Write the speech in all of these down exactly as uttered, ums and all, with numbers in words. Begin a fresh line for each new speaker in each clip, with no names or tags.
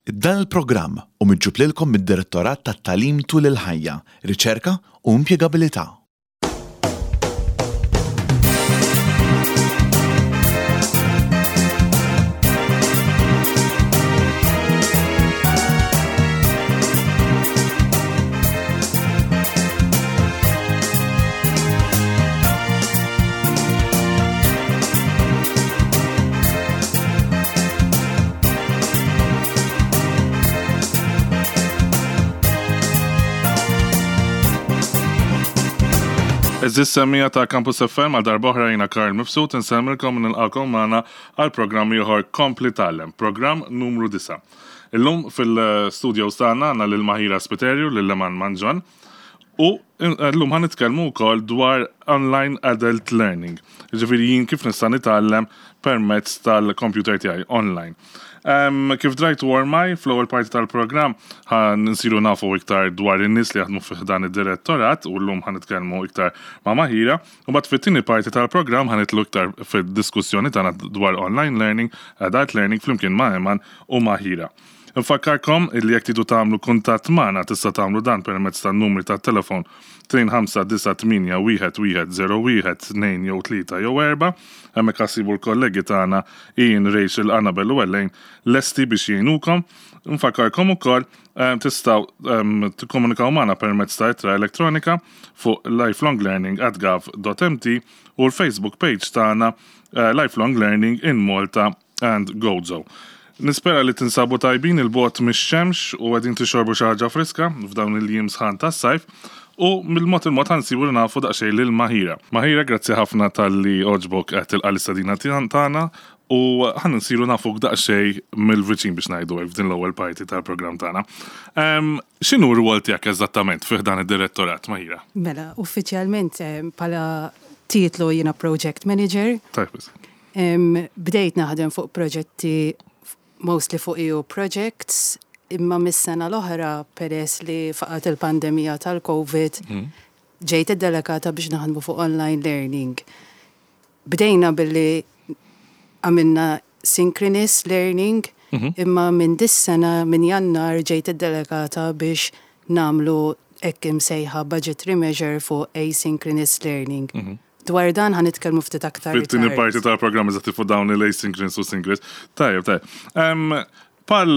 Dan il-programm hu miġjub lilkom mid-Direttorat tat-Tagħlim tul il-ħajja, Riċerka u Impjegabilità.
Għeżież semmiegħa ta' Campus F M, għal darb'oħra jiena Karl Mifsud, insellmilkom u nilqagħkom magħna għal programm ieħor Kompli Tgħallem, programm numru disgħa. Illum fil-studios tagħna għandna lil Mahira Spiterju, lil Leman Manġon, u llum ħa nitkellmu wkoll dwar online adult learning. Ġifieri jien kif nista' nitgħallem permezz tal-computer tiegħi online. Um, kif drajtu ormai, fl-ewwel parti tal-programm ħa nsiru nafu iktar dwar in-nies li jaħdmu fih dan id-direttorat u llum ħa nitkellmu iktar ma' Mahira. U mbagħad fit-tieni parti tal-programm ħa nidħlu iktar fid-diskussjoni tagħna dwar online learning, adult learning flimkien ma' Eman u Mahira. Nfakkarkom illi jekk tridu tagħmlu kuntatt magħna, tista' tagħmlu dan permezz tan-numri tat-telefon tnejn ħamsa disa' tmienja wieħed wieħed żero wieħed tnejn jew tlieta jew erba'. Hemmhekk ħa ssibu l-kollegi tagħna Ian, Rachel, Annabel u Elaine lesti biex jgħinukom. Nfakkarkom ukoll eh, tistgħu um, tikkomunikaw magħna permezz ta' ittra elettronika fuq lifelonglearning at gov dot M T u l-Facebook page tagħna uh, Lifelong Learning in Malta and Gozo. Nispera li tinsabu tajbin il-bogħod mix-xemx u qegħdin tixorbu xi ħaġa friska f'dawn il-jiem sħan tas-sajf u mill-mod il-mod ħa nsiru nafu daqsxejn lil Mahira. Mahira, grazzi ħafna talli għoġbok qed tilqa' l-istedina tagħna u ħa nsiru nafu daqsxejn mill-viċin, biex ngħidu hekk, f'din l-ewwel parti tal-programm tagħna. X'inhu r-rwol tiegħek eżattament fih dan id-direttorat, Mahira?
Mela, uffiċjalment eh, bħala titlu jiena Project Manager.
Tajb.
Bdejt naħdem fuq proġetti, mostly fuq E U projects, imma mis-sena l-oħra, peress li faqgħet il-pandemija tal-Covid, mm. ġejt id-delegata biex naħdmu fuq online learning. Bdejna billi għamilna synchronous learning, mm -hmm. imma minn dis-sena, minn Jannar, ġejt id-delegata biex nagħmlu hekk imsejħa budgetary measure fuq asynchronous learning. Mm -hmm. Dwar dan ħa nitkellmu ftit aktar.
Fit-tieni parti tal-programm eżatt fuq dawn il-asynchronous u synchronous. Tajjeb, tajjeb. Bħal,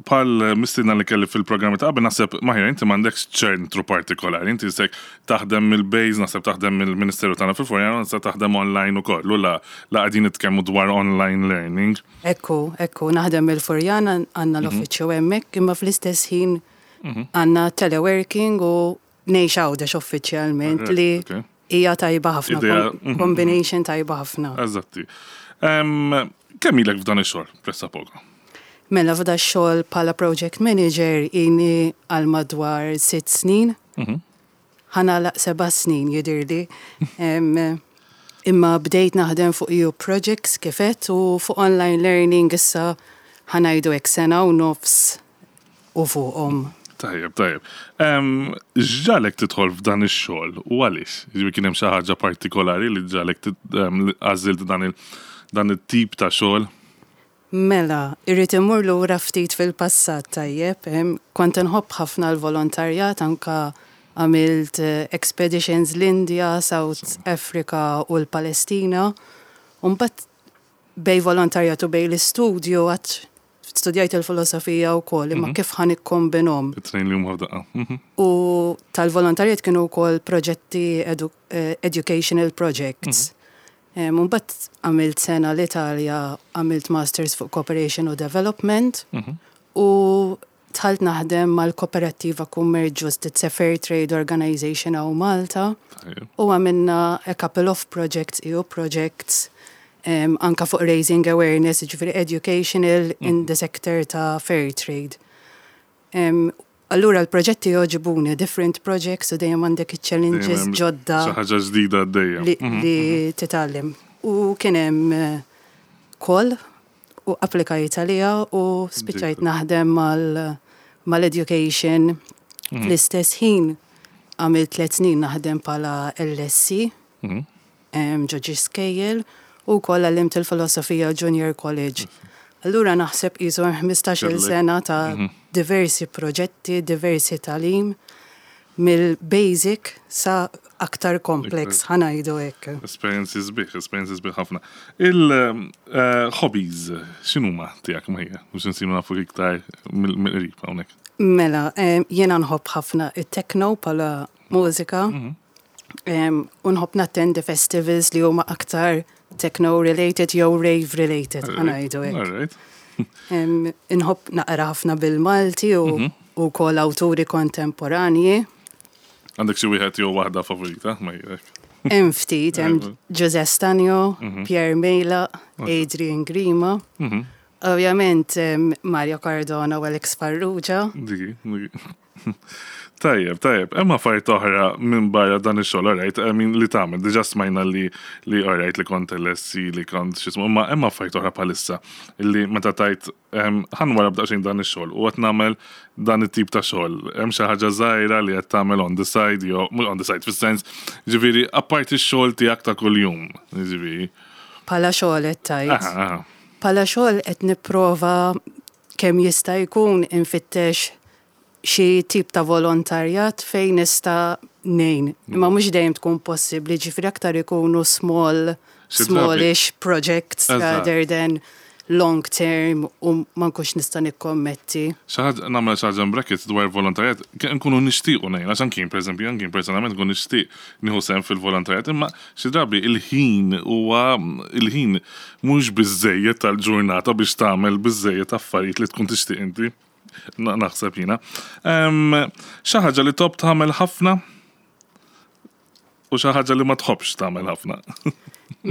bħal mistiedna li kelli fil-programmi ta' qabel, naħseb, Mahira, inti m'għandekx ċentru partikolari, inti sek taħdem mill-base, naħseb taħdem mill-Ministeru tagħna fil-Furjana, naħseb taħdem online ukoll, u la la qegħdin nitkellmu dwar online learning.
Ekku, ekku, naħdem mill-Furjana, għandna mhm. l-uffiċċju hemmhekk, imma fl-istess ħin mhm. għandna teleworking u ngħix Għawdex uffiċjalment, li hija tajba ħafna, mhm. combination tajba ħafna.
Eżatti. Kemm ilek f'dan ix-xogħol, pressappoco?
Mela, f'da xogħol bħala project manager ini għal madwar sitt snin. Mhm. Ħa nagħlaq seba' snin jidirli. Imma bdejt naħdem fuq E U projects kif għedt u fuq online learning issa ħa ngħidu hekk sena u nofs u fuqhom.
Tajjeb, tajjeb. X'ġagħlek tidħol f'dan ix-xogħol u għaliex? Jiġifieri kien hemm xi ħaġa partikolari li ġagħlek għażilt dan il dan it-tip ta' xogħol?
Mela, irrid immur lura ftit fil-passat, tajjeb. Kont nħobb ħafna l-volontarjat, anka għamilt eh, expeditions l-India, South Africa u l-Palestina. Mbagħad bejn volontarjat u bejn l-istudju, għax studjajt il-filosofija u kollox, imma mhm. kif ħa nikkombinahom?
It-tnejn li huma f'daqqa.
Mhm. U tal-volontarjat kienu wkoll proġetti edu eh, educational projects. Mm Mbagħad għamilt sena l-Italja, għamilt masters fuq cooperation u development mhm. u dħalt naħdem mal-Kooperativa Kummerċ Ġust, it's a fair trade organization hawn Malta. U għamilna a couple of projects, E U projects, um, anka fuq raising awareness, ġifieri educational mm. in the sector ta' fair trade. Um, allura l-proġetti jogħġbuni, different projects, u dejjem għandek challenges ġodda.
Xi ħaġa ġdida dejjem.
Li, mhm, li mhm. titgħallem. U kien hemm eh, call u applikajt għalija u spiċċajt naħdem mal-education. Mhm. Fl-istess ħin għamilt tliet snin naħdem bħala L S C ġo skejjel u wkoll għallimt il-filosofija Junior College. Allura naħseb qisu hemm ħmistax-il
Kellek.
sena ta' diversi proġetti, diversi tagħlim, mill-basic sa aktar complex, ħa ngħidu hekk.
Esperjenzi sbieħ, esperjenzi sbieħ ħafna. Il-hobbies, x'inhuma tiegħek, Maria? Biex nsiru nafu iktar mill-qrib hawnhekk.
Mela, em, jiena nħobb ħafna it-techno bħala mużika. Em, U nħobb nattendi festivals li huma aktar techno related jew rave related, ħa ngħidu hekk.
All right.
Em, Inħobb naqra ħafna bil-Malti u u kol awturi kontemporanji.
Għandek xi wieħed jew waħda favorita, Maria?
Hemm ftit, hemm Ġużè Stagno, Pierre Meilaq, Adrian Grima. Ovvjament em, Mario Cardona u Alex Farrugia.
Diki, diki. Tajjeb, tajjeb. Hemm affarijiet oħra minn barra dan ix-xogħol, alright, I mean li tagħmel, diġà smajna li li alright li kont L S E, li kont x'ismu, imma hemm affarijiet oħra bħalissa illi meta tajt ħa nwarrab daqsxejn dan ix-xogħol u qed nagħmel dan it-tip ta' xogħol. Hemm xi ħaġa żgħira li qed tagħmel on the side jew mhux on the side fis-sens, ġifieri apparti x-xogħol tiegħek ta' kuljum, ġifieri.
Bħala xogħol qed tgħid?
Aha, aha.
Bħala xogħol qed nipprova kemm jista' jkun infittex xi tip ta' volontarjat fejn nista' ngħin. Imma mhux dejjem tkun possibbli, ġifieri aktar ikunu small,
Xi drabi-
smallish projects
Eżatt.
rather than long term u ma nkunx nista' nikkommetti.
Xi ħaġa, nagħmel xi ħaġa brackets dwar volontarjat, ke- nkunu nixtiequ ngħin, għax anki per eżempju, anki personalment nkun nixtieq nieħu sehem fil-volontarjat, imma xi drabi il-ħin huwa il-ħin mhux biżejjed tal-ġurnata biex tagħmel biżejjed affarijiet li tkun tixtieq inti. Na- Naħseb jiena. Em, Xi ħaġa li tħobb tagħmel ħafna u xi ħaġa li ma tħobbx tagħmel ħafna.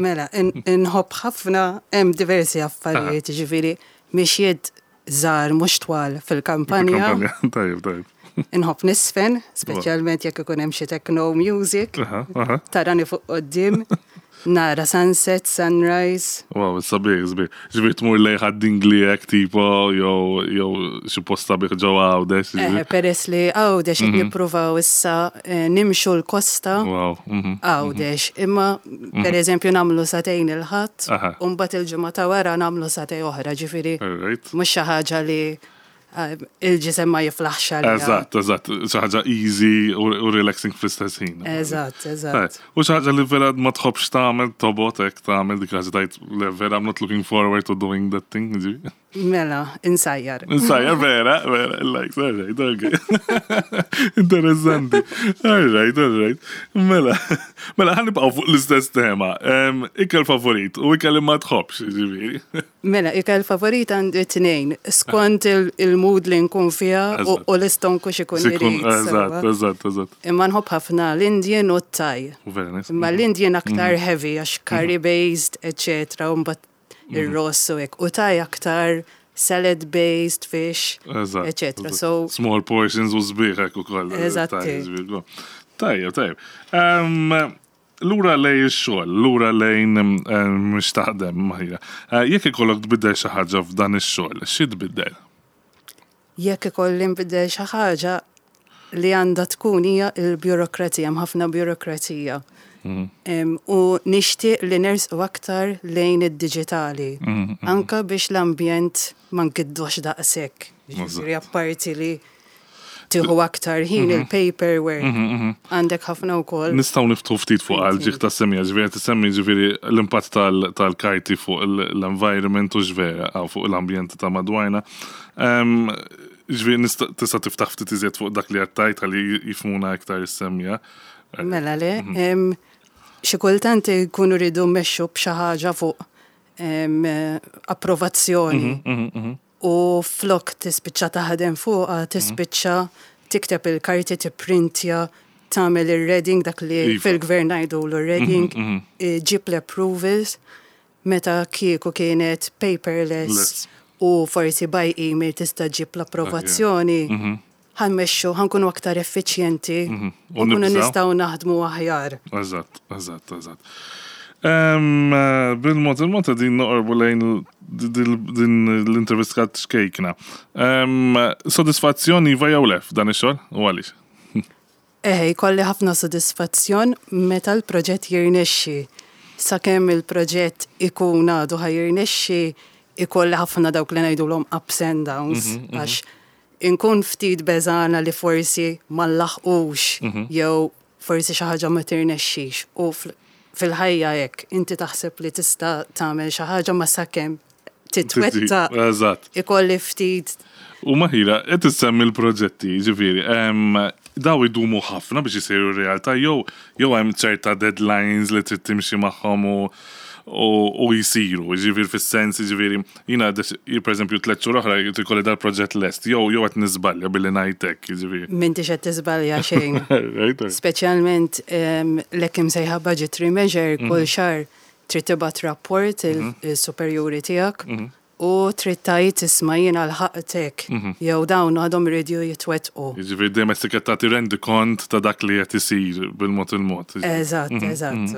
Mela, in- inħobb ħafna, hemm diversi affarijiet, ġifieri mixjiet żgħar mhux twal fil-kampanja.
Tajjeb, tajjeb.
Inħobb niżfen, speċjalment jekk ikun hemm xi techno music.
Aha, aha.
Tarani fuq quddiem, nara sunset, sunrise.
Wow, sabiħ, sabiħ. Ġifieri tmur lejn Ħad-Dingli hekk tipo, jew jew xi post sabiħ ġewwa Għawdex.
Eh,
ġifieri.
peress li Għawdex qed nippruvaw issa eh, nimxu l-kosta
Wow, mhm.
Għawdex. Imma per eżempju nagħmlu sagħtejn il-Ħadd,
Aha.
u mbagħad il-ġimgħa ta' wara nagħmlu sagħtejn oħra, ġifieri
Alright.
mhux xi ħaġa li eh, il-ġisem ma jiflaħx għaliha.
Eżatt, eżatt. Xi ħaġa easy u u relaxing fl-istess ħin.
Eżatt, eżatt.
U xi ħaġa li vera ma tħobbx tagħmel, tobgħod hekk tagħmel dik ħaġa tgħid li vera I'm not looking forward to doing that thing. Ġifieri.
Mela, insajjar.
Insajjar, vera, vera, like, all right, okay. Interessanti. All right, all right. Mela, mela, ħa nibqgħu fuq l-istess tema. Em, Ikel favorit u ikel li ma tħobbx, ġifieri.
Mela, ikel favorit għandi tnejn, skont il- il-mood li nkun fiha u
Eżatt.
u l-istonku x'ikun
Sikun,
irid.
eżatt,
sewwa.
eżatt, eżatt.
Imma nħobb ħafna l-Indian u t-Thai.
Very nice.
Imma l-Indian aktar heavy, għax curry based, et cetera. U mbagħad ir-ross u hekk. U Thai aktar salad based, fish,
Eżatt.
et cetera.
Eżatt.
So,
Small portions u sbieħ hekk ukoll.
Eżatti.
Tajjeb, tajjeb. Em, Lura lejn ix-xogħol, lura lejn em, mhux taħdem, Maria. Eh, Jekk ikollok tbiddel xi ħaġa f'dan ix-xogħol, xi tbiddel?
Jekk ikolli nbiddel xi ħaġa li għandha tkun hija il-burokrazija, hemm ħafna burokrazija. Em, U nixtieq li nersqu aktar lejn id-diġitali. Anka biex l-ambjent ma nkiddux daqshekk. Ġifieri apparti li tieħu aktar ħin il-paperwork. Għandek ħafna wkoll.
Nistgħu niftħu ftit fuq għal ġieħ ta' semija, ġifieri tisemmi ġifieri l-impatt tal- tal-karti fuq l-environment u ġvera, għaw fuq l-ambjent ta' madwarna. Em, Ġifieri nista' tista' tiftaħ ftit iżjed fuq dak li għedt ħalli jifhmuna iktar is-semmiegħa.
Mela le, em, xi kultant jkunu rridu mmexxu b'xi ħaġa fuq em, approvazzjoni. U flok tispiċċa taħdem fuqha, tispiċċa tikteb il-karti, tipprintja, tagħmel ir-reading, dak li
Iva.
fil-gvern ngħidu l-reading, ġib l-approvals, meta kieku kienet paperless
Less.
u forsi by email tista' ġib l-approvazzjoni, ħa mmexxu, ħa nkunu aktar effiċjenti
U
u nkunu
nibżaw.
nistgħu naħdmu aħjar.
Eżatt, eżatt, eżatt. Em, eh, Bil-mod il-mod din noqorbu lejn din din l-intervista xkejkna. Em, Sodisfazzjon iva jew le f'dan ix-xogħol u għaliex?
Eħe, jkolli ħafna sodisfazzjon meta l-proġett jirnexxi. Sakemm il-proġett ikun għadu ħa jirnexxi, Ikolli ħafna dawk li ngħidulhom ups and downs, għax inkun ftit beżgħana li forsi ma nlaħqux jew forsi xi ħaġa ma tirnexxix. U fl- fil-ħajja hekk inti taħseb li tista' tagħmel xi ħaġa, ma sakemm titwettaq
Eżatt.
ikolli ftit.
U Mahira, qed issemmi l-proġetti, ġifieri, em, daw idumu ħafna biex isiru realtà, jew jew hemm ċerta deadlines li trid timxi magħhom u u, u jisiru, ġifieri fis-sens, ġifieri, jiena per eżempju tliet xhur oħra jrid ikolli dal-proġett lest, jew jew qed niżbalja billi ngħidlek, ġifieri.
M'intix qed tiżbalja xejn.
Right?
Speċjalment em, l-hekk imsejħa budgetary measure, kull xahar trid tibgħat rapport il-superjuri tiegħek u trid tgħid, "Isma', jiena lħaqtek jew dawn għadhom iridu jitwettqu."
Ġifieri dejjem qed tagħti rendikont ta' dak li qed isir bil-mod il-mod.
Eżatt, eżatt.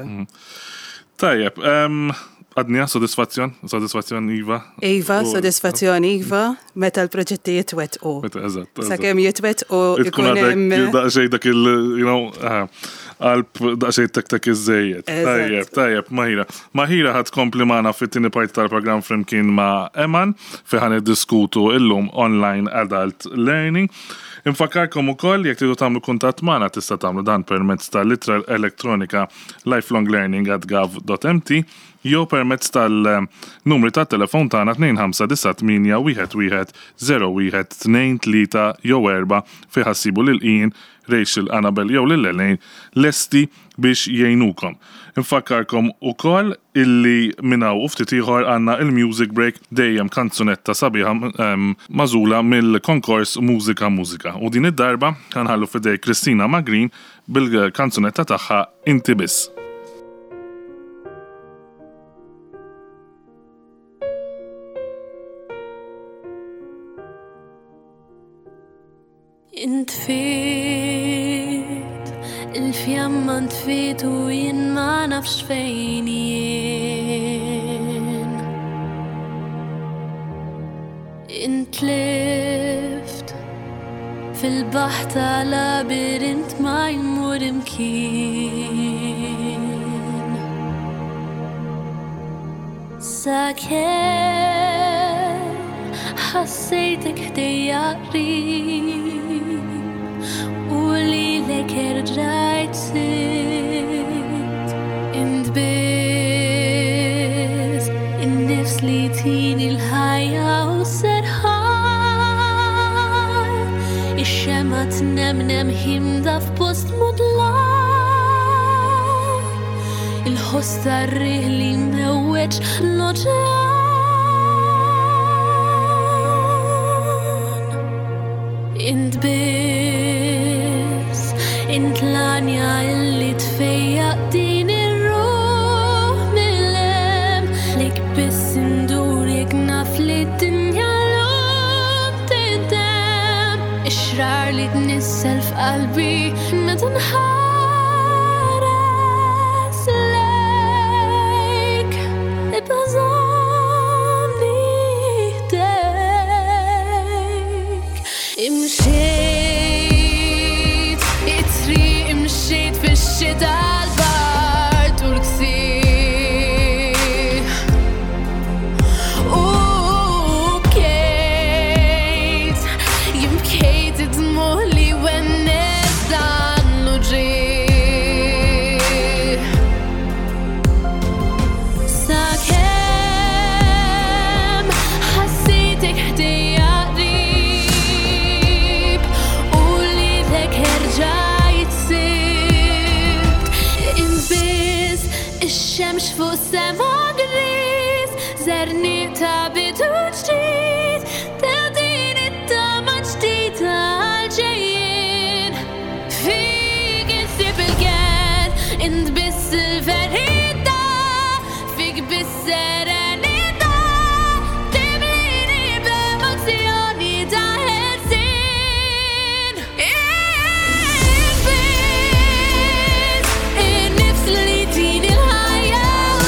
Tajjeb, em, għadni sodisfazzjon? Sodisfazzjon, iva?
Iva,
U-
sodisfazzjon iva, meta l-proġetti jitwettqu.
Meta, eżatt. eżatt.
Sakemm jitwettqu
Tkun
ikun
għadek
hemm
daqsxejn dak il, you know, ah, qalb daqsxejn tek tek iżżejjed.
Eżatt.
Tajjeb, tajjeb, Mahira. Mahira ħa tkompli magħna fit-tieni parti tal-programm flimkien ma' Eman fi ħa niddiskutu illum online adult learning. Infakkarkom ukoll, jekk tridu tagħmlu kuntatt magħna, tista' tagħmlu dan permezz tal-ittra elettronika lifelonglearning at gov dot M T jew permezz tal-numri tat-telefon tagħna tnejn ħamsa disa' tmienja wieħed wieħed żero wieħed tnejn tlieta jew erba' fejn ħa ssibu lil Ian, Rachel, Annabel jew lil Elaine lesti biex jgħinukom. Infakkarkom ukoll illi minn hawn u ftit ieħor għandna il-music break, dejjem kanzunetta sabiħa em, magħżula mill-konkors Mużika Mużika. U din id-darba ħa nħallu f'idejn Kristina Magrin bil-kanzunetta tagħha Inti Biss.
Intfiet, il-fjamma ntfiet u jien ma nafx fejn jien. Intlift fil-baħar ta' labirint ma jmur imkien. Sakemm ħassejtek ħdejja qrib u lilek erġajt sibt. Int biss in-nifs li tini l-ħajja u serħan, ix-xemgħa tnemnem ħimda f'post mudlam, il-ħoss tar-riħ li mewweġ l-oċean. Int biss, int l-għanja illi tfejjaq din ir-ruħ mill-hemm, lejk biss indur jekk naf li d-dinja llum tintemm, ix-xrar li tnissel f'qalbi meta nħares lejk. Ibqa' żommni ħdejk. Imxejt, it-triq imxejt fix-xita, l-bard u l-ksieħ. U bkejt, jien bkejt id-dmugħ li wennes dan l-uġigħ. Sakemm ħassejtek ħdejja qrib u lilek erġajt sibt. Int biss ix-xemx fuq sema gris, żerniq ta' bidu ġdid, tagħtini t-tama ġdida għal-ġejjien. Fik insib il-kenn, int biss il-verità, fik biss serenità, timlini b'emozzjoni ta' ħelsien. Int biss in-nifs li tini l-ħajja u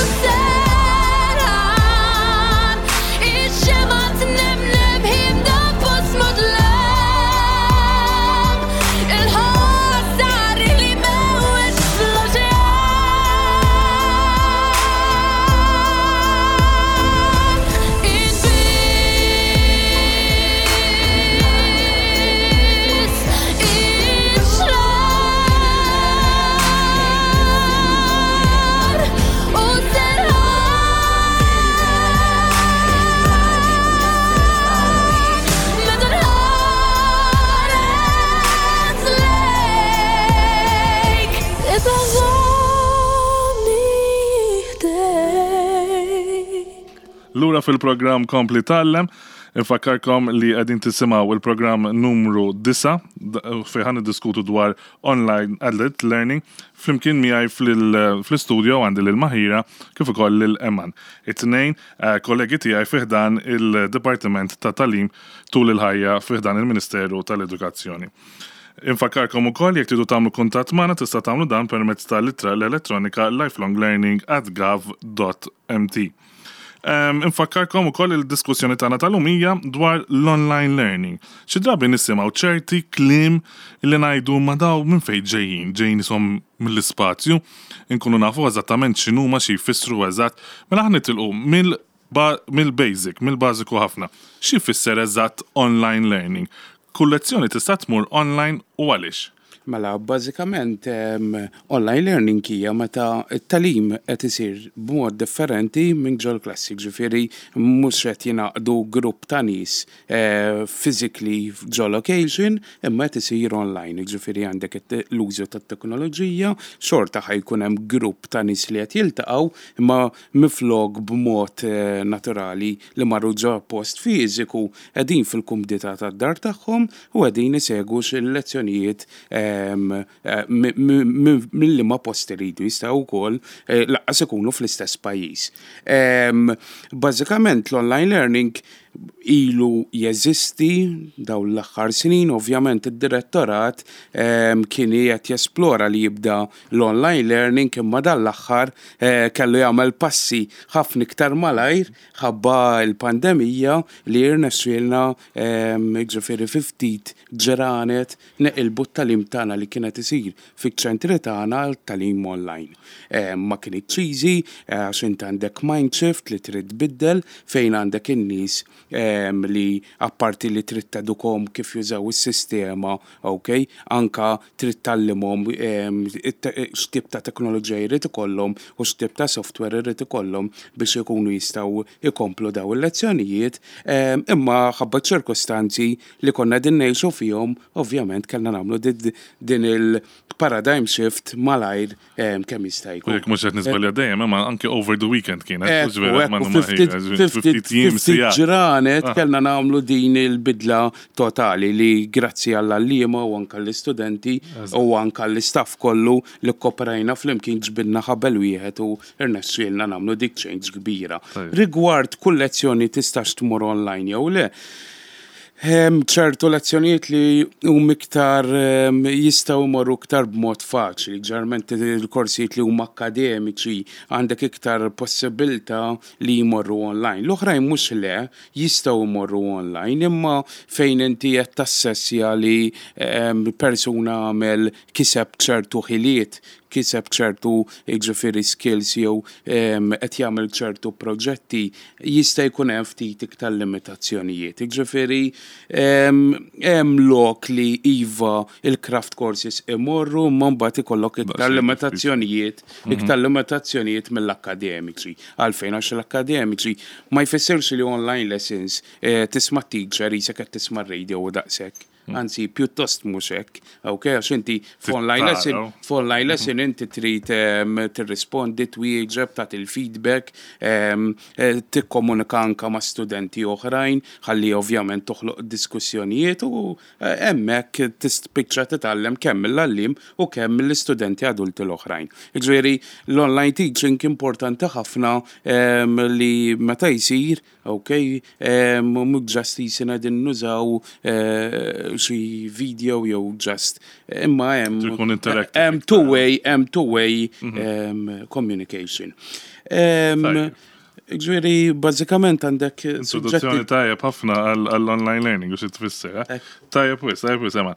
Lura fil-programm Kompli Tgħallem, infakkarkom li qegħdin tisimgħu il-programm numru disgħa fejn ħa niddiskutu dwar online adult learning. Flimkien miegħi fl-istudio għandi lil Mahira kif ukoll lil Eman. It-tnejn eh, kollegi tiegħi fi ħdan il-Dipartiment ta' Tagħlim tul il-ħajja fi ħdan il-Ministeru tal-Edukazzjoni. Infakkarkom ukoll, jekk tridu tagħmlu kuntatt magħna, tista' tagħmlu dan permezz tal-ittra l-elettronika lifelonglearning at gov dot M T. Um, infakkarkom ukoll il-diskussjoni tagħna tal-lum hija dwar l-online learning. Xi drabi nisimgħu ċerti kliem li ngħidu, "Ma daw minn fejn ġejjin, ġejjin ishom mill-ispazju?" Inkunu nafu eżattament x'inhuma, xi jfissru eżatt. Mela ħa nitilqu mill mill-basic, mill-bażiku ħafna. Xi jfisser eżatt online learning? Kull lezzjoni tista' tmur online u għaliex?
Mela, bażikament um, online learning hija meta t-tagħlim qed isir b'mod differenti minn ġol klassi, ġifieri mhux qed jingħaqdu grupp ta' nies eh, physically ġo location, imma qed isir online, ġifieri għandek l-użu tat-teknoloġija, xorta ħa jkun hemm grupp ta' nies li qed jiltaqgħu, imma minflok b'mod eh, naturali li marru ġo post fiżiku, qegħdin fil-kumdità tad-dar tagħhom u qegħdin isegwu il-lezzjonijiet eh, mill ma post iridu, jistgħu wkoll eh, lanqas ikunu fl-istess pajjiż. Bażikament l-online learning ilu jeżisti dawn l-aħħar snin, ovvjament id-direttorat kien qed jesplora li jibda l-online learning, imma dan l-aħħar eh, kellu jagħmel passi ħafna iktar malajr ħabba l-pandemija li irnexxielna, ġifieri fi ftit ġranet, neqilbu t-tagħlim tagħna li kienet isir fiċ-ċentri tagħna tagħlim online. Ma kienx easy għax int għandek mind shift li trid tbiddel fejn għandek in-nies li apparti li trid tedukahom kif jużaw is-sistema, ok, anka trid tgħallimhom x'tip ta' teknoloġija jrid ikollhom u x'tip ta' software jrid ikollhom biex ikunu jistgħu ikomplu daw il-lezzjonijiet, imma ħabba ċirkostanzi li konna din ngħixu fihom, ovvjament kellna nagħmlu din il-paradigm shift malajr kemm jista' jkun.
Jekk mhux qed niżbalja dejjem, imma anke over the weekend kienet.
Ftit ġranet ah. kellna nagħmlu din il-bidla totali li grazzi għall-għalliema u anka l-istudenti u anka l-istaff kollu li kkoperajna flimkien, ġbidna ħabel wieħed u irnexxielna nagħmlu dik change kbira. Rigward kull lezzjoni tistax tmur online jew le, ċertu lezzjonijiet li hum iktar jistgħu jmorru iktar b'mod faċli, ġeneralment il-korsijiet li huma akademiċi għandek iktar possibilità li jmorru online. L-oħrajn mhux le, jistgħu jmorru online, imma fejn inti qed tassessja li persuna għamel, kiseb ċertu ħiliet, kiseb ċertu, ġifieri, skills jew qed jagħmel ċertu proġetti, jista' jkun hemm ftit iktar limitazzjonijiet. Ġifieri hemm lok li iva, il-craft courses imorru, imma mbagħad ikollok iktar limitazzjonijiet, mhm. iktar limitazzjonijiet mill-akademiċi. Għalfejn? Għax l-akademiċi ma jfissirx li online lessons eh, tisma' teacher jisek qed tisma' radio u daqshekk. Anzi, pjuttost mhux hekk, ok, għax inti f'online lesson, f'online lesson inti trid tirrispondi, twieġeb, tagħti il-feedback, eh, tikkomunika anka ma' studenti oħrajn, ħalli ovvjament toħloq diskussjonijiet u eh, hemmhekk tispiċċa titgħallem kemm mill-għalliem u kemm mill-istudenti adulti l-oħrajn. Ġifieri l-online teaching importanti ħafna li meta jsir, ok, mhux just jisina din nużaw eh, xi video jew just, imma hemm hemm two way hemm two way mhm. communication. Ġifieri, bażikament għandek.
Introduzzjoni tajjeb ħafna għall-online learning u xi tfisser. Eh? Tajjeb wis, tajjeb wis, ema.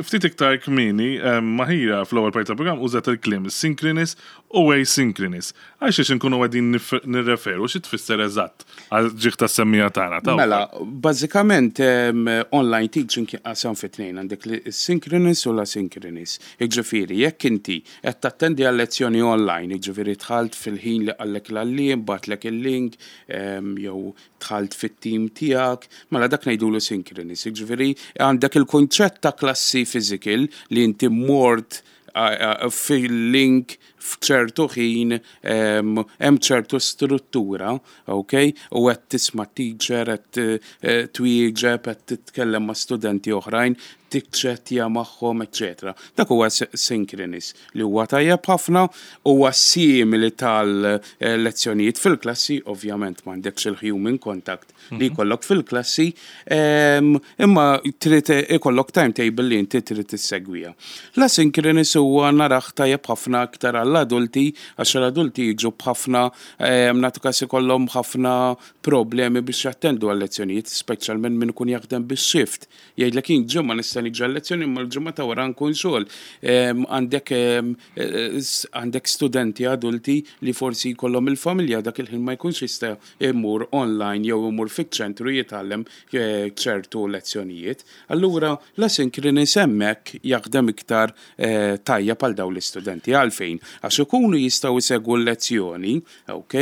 Ftit iktar kmieni, Maħira fl-ewwel parti tal-programm użat il-kliem synchronous u asynchronous. Għal xiex inkunu qegħdin nirreferu, xi tfisser eżatt għal ġieħ tas-semmiegħa tagħna?
Mela, bażikament online teaching qasam fi tnejn, għandek synchronous u l-asynchronous. Ġifieri, jekk inti qed tattendi għal lezzjoni online, ġifieri dħalt fil-ħin li qallek l-għalliem, bagħatlek il-link, jew dħalt fit-team tiegħek, mela dak ngħidulu synchronous. Ġifieri għandek il-kunċett ta' klassi physical li inti mort fil-link F'ċertu ħin hemm ċertu struttura, ok? U qed tisma' teacher, qed eh, twieġeb, qed titkellem ma' studenti oħrajn, tiċċettja magħhom, eċetera. Dak huwa synchronous li huwa tajjeb ħafna, huwa simili tal-lezzjonijiet fil-klassi, ovvjament m'għandekx il-human contact li jkollok fil-klassi, imma trid ikollok timetable li inti trid tissegwiha. L-asynchronous huwa narah tajjeb ħafna aktar għall-adulti, għax l-adulti jiġu b'ħafna, nagħtu każ, ikollhom ħafna problemi biex jattendu għal-lezzjonijiet, speċjalment min ikun jaħdem bix-shift. Jgħidlek, "Jien ġimgħa nista' niġi għal-lezzjoni, imma l-ġimgħa ta' wara nkun xogħol." Għandek għandek studenti adulti li forsi jkollhom il-familja, dak il-ħin ma jkunx jista' imur online jew imur fiċ-ċentru jitgħallem eh, ċertu lezzjonijiet. Allura l-asynchronous hemmhekk jaħdem iktar eh, tajjeb għal dawn l-istudenti. Għalfejn? Għax ikunu jistgħu jsegwu l-lezzjoni, ok,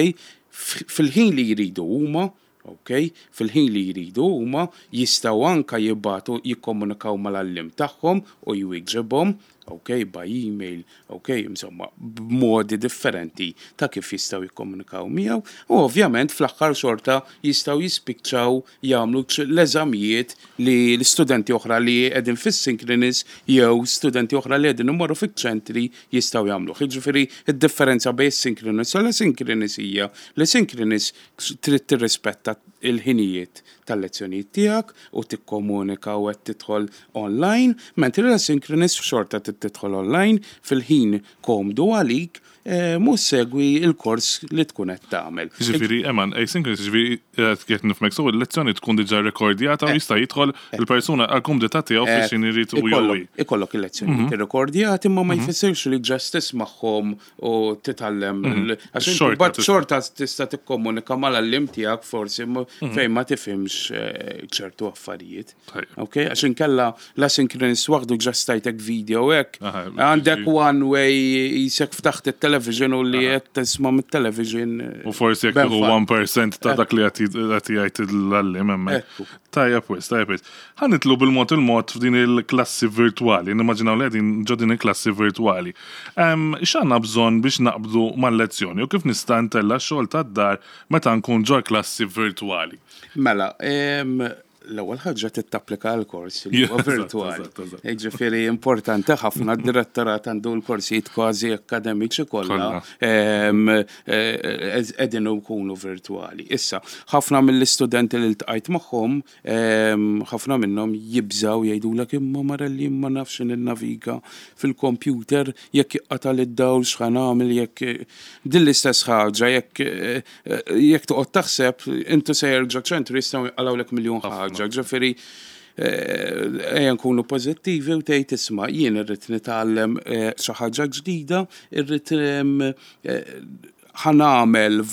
fil-ħin li jridu huma, ok, fil-ħin li jridu huma, jistgħu anka jibagħtu, jikkomunikaw mal-għalliem tagħhom u jwieġibhom, ok, by email, ok, insomma, b'modi differenti ta' kif jistgħu jikkomunikaw miegħu, u ovvjament fl-aħħar xorta jistgħu jispiċċaw jagħmlu l-eżamijiet li l-istudenti oħra li qegħdin fis-synchronous jew studenti oħra li qegħdin imorru fiċ-ċentri jistgħu jagħmlu. Jiġifieri id-differenza bejn synchronous u l-asynchronous hija li synchronous trid tirrispetta il-ħinijiet tal-lezzjonijiet tiegħek u tikkomunika u qed tidħol online, mentri l-asynchronous xorta trid tidħol online fil-ħin komdu għalik eh, mhux segwi il-kors li tkun qed tagħmel.
Ġifieri, Eman, asynchronous, ġifieri, qed nifhmek sew, il-lezzjoni tkun diġà rekordjata u jista' jidħol il-persuna għal kumdità tiegħu fix x'ħin irid u
Ikollok
jew.
ikollok il-lezzjonijiet irrekordjati, imma ma jfissirx li just tismagħhom u titgħallem. l- Għax inti
Xorta
mbagħad
tista'
xorta tista' tikkomunika mal-għalliem tiegħek forsi ma- fejn ma tifhimx eh, ċertu affarijiet.
Tajjeb.
Ok, għax inkella l-asynchronous waħdu just tajtek video hekk.
Aha,
Għandek
ġifieri-
one way, qisek ftaħt il-television u li qed tisma' mit-television. eh,
U forsi jekk
ben
tieħu
fa-
wieħed fil-mija ta' dak li qed jgħid l-għalliem hemmhekk.
Ekku.
Tajjeb wis, tajjeb wis. Ħa nidħlu bil-mod il-mod f'din il-klassi virtuali, nimmaġinaw li qegħdin ġo din il-klassi virtuali. Em, X'għandna bżonn biex naqbdu mal-lezzjoni u kif nista' ntella' xogħol tad-dar meta nkun ġo klassi virtuali?
Mela, em, l-ewwel ħaġa trid tapplika għal kors li huwa
Eżatt,
virtuali.
eżatt, eżatt.
Ġifieri importanti ħafna, d-direttorat għandu l-korsijiet kważi akademiċi kollha
Kollha.
em, eh, qegħdin ikunu virtuali. Issa, ħafna mill-istudenti li ltqajt magħhom, em, ħafna minnhom jibżaw, jgħidulek, "Imma Marelli, ma nafx ninnaviga fil-computer, jekk jinqata' id-dawl x'ħa nagħmel?" Jekk din l-istess ħaġa, jekk eh, jekk toqgħod taħseb intu sejjer ġo ċentru jistgħu jqalgħulek miljun ħaġa, ġifieri eh, ejja nkunu pożittivi u tgħid, "Isma', jien irrid nitgħallem eh, xi ħaġa ġdida, irrid em, eh, ħa nagħmel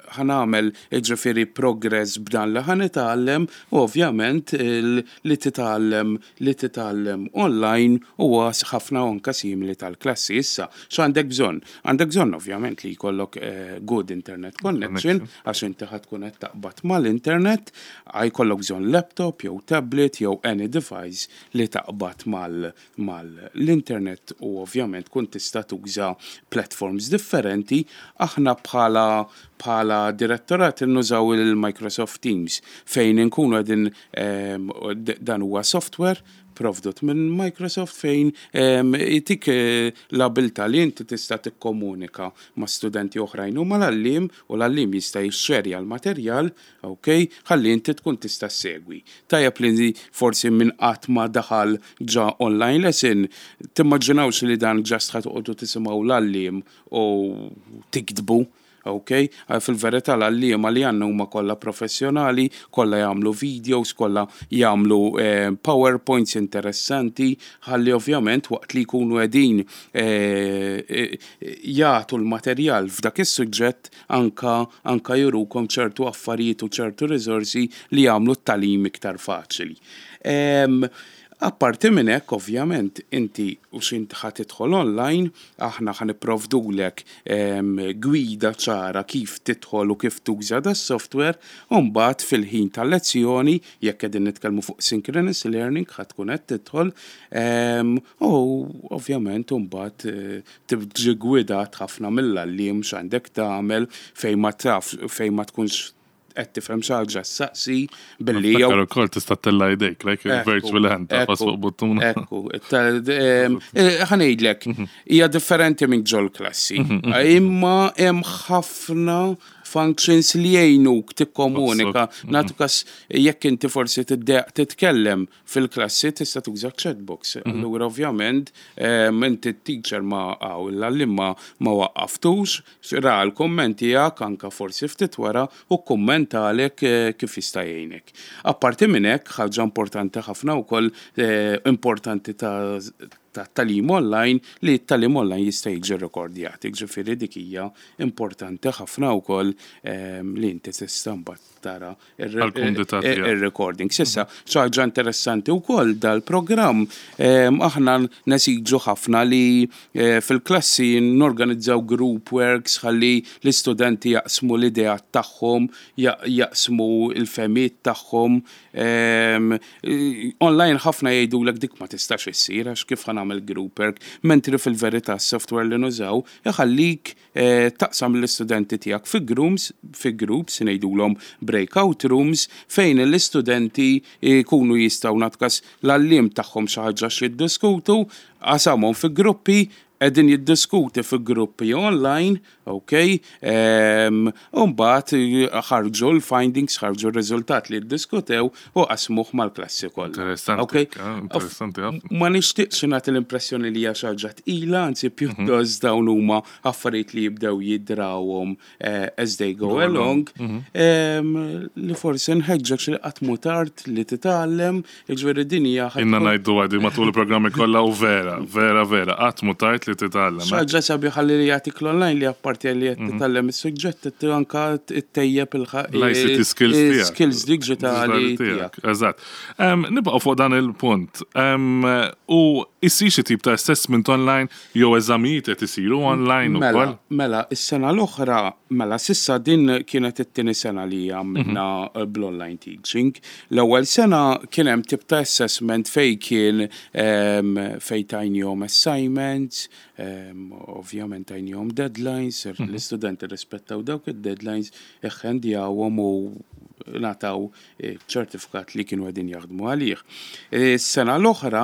ħa nagħmel ġifieri progress b'dan li ħa nitgħallem." U ovvjament il- li titgħallem li titgħallem online huwa ħafna anka simili tal-klassi. Issa, x'għandek bżonn? Għandek bżonn ovvjament li jkollok eh, good internet connection, għax inti ħa tkun qed taqbad mal-internet, jkollok bżonn laptop jew tablet jew any device li taqbad mal mal-internet u ovvjament kun tista' tuża platforms differenti. Aħna bħala bħala direttorat nużaw il-Microsoft Teams fejn inkunu qegħdin em, d- dan huwa software provdut minn Microsoft fejn em, jtik eh, l-abilità li inti tista' tikkomunika ma' studenti oħrajn u mal-għalliem, u l-għalliem jista' jixxerja l-materjal, ok, ħalli inti tkun tista' segwi. Tajjeb li forsi minn qatt ma daħal ġo online lesson, timmaġinawx li dan just ħa toqgħodu tisimgħu l-għalliem u tiktbu. Ok, fil-verità l-għalliema li għandna huma kollha professjonali, kollha jagħmlu videos, kollha jagħmlu eh, PowerPoints interessanti, ħalli ovvjament waqt li jkunu qegħdin eh, eh, jagħtu l-materjal f'dak is-suġġett anka anka jurukom ċertu affarijiet u ċertu riżorsi li jagħmlu t-tagħlim iktar faċli. Em, Apparti minn hekk, ovvjament, inti u x'int ħa tidħol online, aħna ħa nipprovdulek em, gwida ċara kif tidħol u kif tuża da software, u mbagħad fil-ħin tal-lezzjoni, jekk qegħdin nitkellmu fuq synchronous learning, ħa tkun qed tidħol, em, u ovvjament mbagħad eh, tiġi gwidat ħafna mill-għalliem x'għandek tagħmel, fejn ma taf, fejn ma tkunx qed tifhem xi ħaġa ssaqsi billi jew
Niftakar ukoll tista' ttella' jdejk, like
Ekku,
virtual hand, tagħfas
ekku,
fuq buttuna.
Ekku, ta- em, eh, ħa ngħidlek, hija differenti minn ġol klassi. Imma hemm ħafna functions li jgħinuk tikkomunika. Nagħtu kas jekk inti forsi tiddejjaq titkellem fil-klassi, tista' tuża chatbox. Allura ovvjament em, inti t-teacher ma għaw l-għallim ma ma waqqaftux, ra l-komment tiegħek anka forsi ftit wara u kommentalek eh, kif jista' jgħinek. Apparti minn hekk, ħaġa importanti ħafna wkoll, eh, importanti ta' ta' tagħlim online, li t-tagħlim online jista' jiġi rekordjat. Ġifieri dik hija importanti ħafna wkoll em, li inti tista' mbagħad tara
Għall-kumdità tiegħek.
ir-recording. S'issa, xi ħaġa interessanti wkoll dal-programm, em, aħna nesiġu ħafna li eh, fil-klassi norganizzaw group works ħalli l-istudenti jaqsmu l-idea tagħhom, ja- jaqsmu il-fehmiet tagħhom. Em, eh, Online ħafna jgħidulek dik ma tistax issir għax kif ħa nagħmel group work, mentri fil-verità s-software li nużaw iħallik eh, taqsam l-istudenti tiegħek fi groups, fi groups ngħidulhom breakout rooms, fejn l-istudenti jkunu jistgħu, nagħtu kas l-għalliem tagħhom xi ħaġa x'jiddiskutu, qasamhom fi gruppi, qegħdin jiddiskuti fi gruppi online, ok, um, u mbagħad ħarġu l-findings, ħarġu r-riżultat li ddiskutew u qasmuh mal-klassi kollha.
Interessanti,
Ok?
ah, interessanti ħafna.
Ma nixtieqx nagħti l-impressjoni li hija xi ħaġa tqila, anzi pjuttost dawn huma affarijiet li jibdew jidrawhom eh, as they go along, em, li forsi nħeġġek xi qatt mhu tard li titgħallem, jiġifieri din hija ħa
Inna
tkun
ngħidu għadi matul il-programmi kollha u vera, vera, vera, qatt mhu tard li titgħallem.
Xi ħaġa sabiħa li jagħtik l-online li apparti li qed titgħallem is-suġġett qed anka ttejjeb
L-I C T skills tiegħek.
Skills digitali tiegħek.
Eżatt. Em, Nibqgħu fuq dan il-punt. Em, U issir xi tip ta' assessment online jew eżamijiet qed isiru online
Mela,
ukoll?
mela, is-sena l-oħra, mela, s'issa din kienet it-tieni sena li għamilna bl-online teaching. L-ewwel sena kien hemm tip ta' assessment fej kien em, fej tajnihom assignments, em, ovvjament tajnihom deadlines, l-istudenti rispettaw dawk id-deadlines, iħendjawhom u ngħataw ċertifikat li kienu qegħdin jaħdmu għalih. Is-sena l-oħra,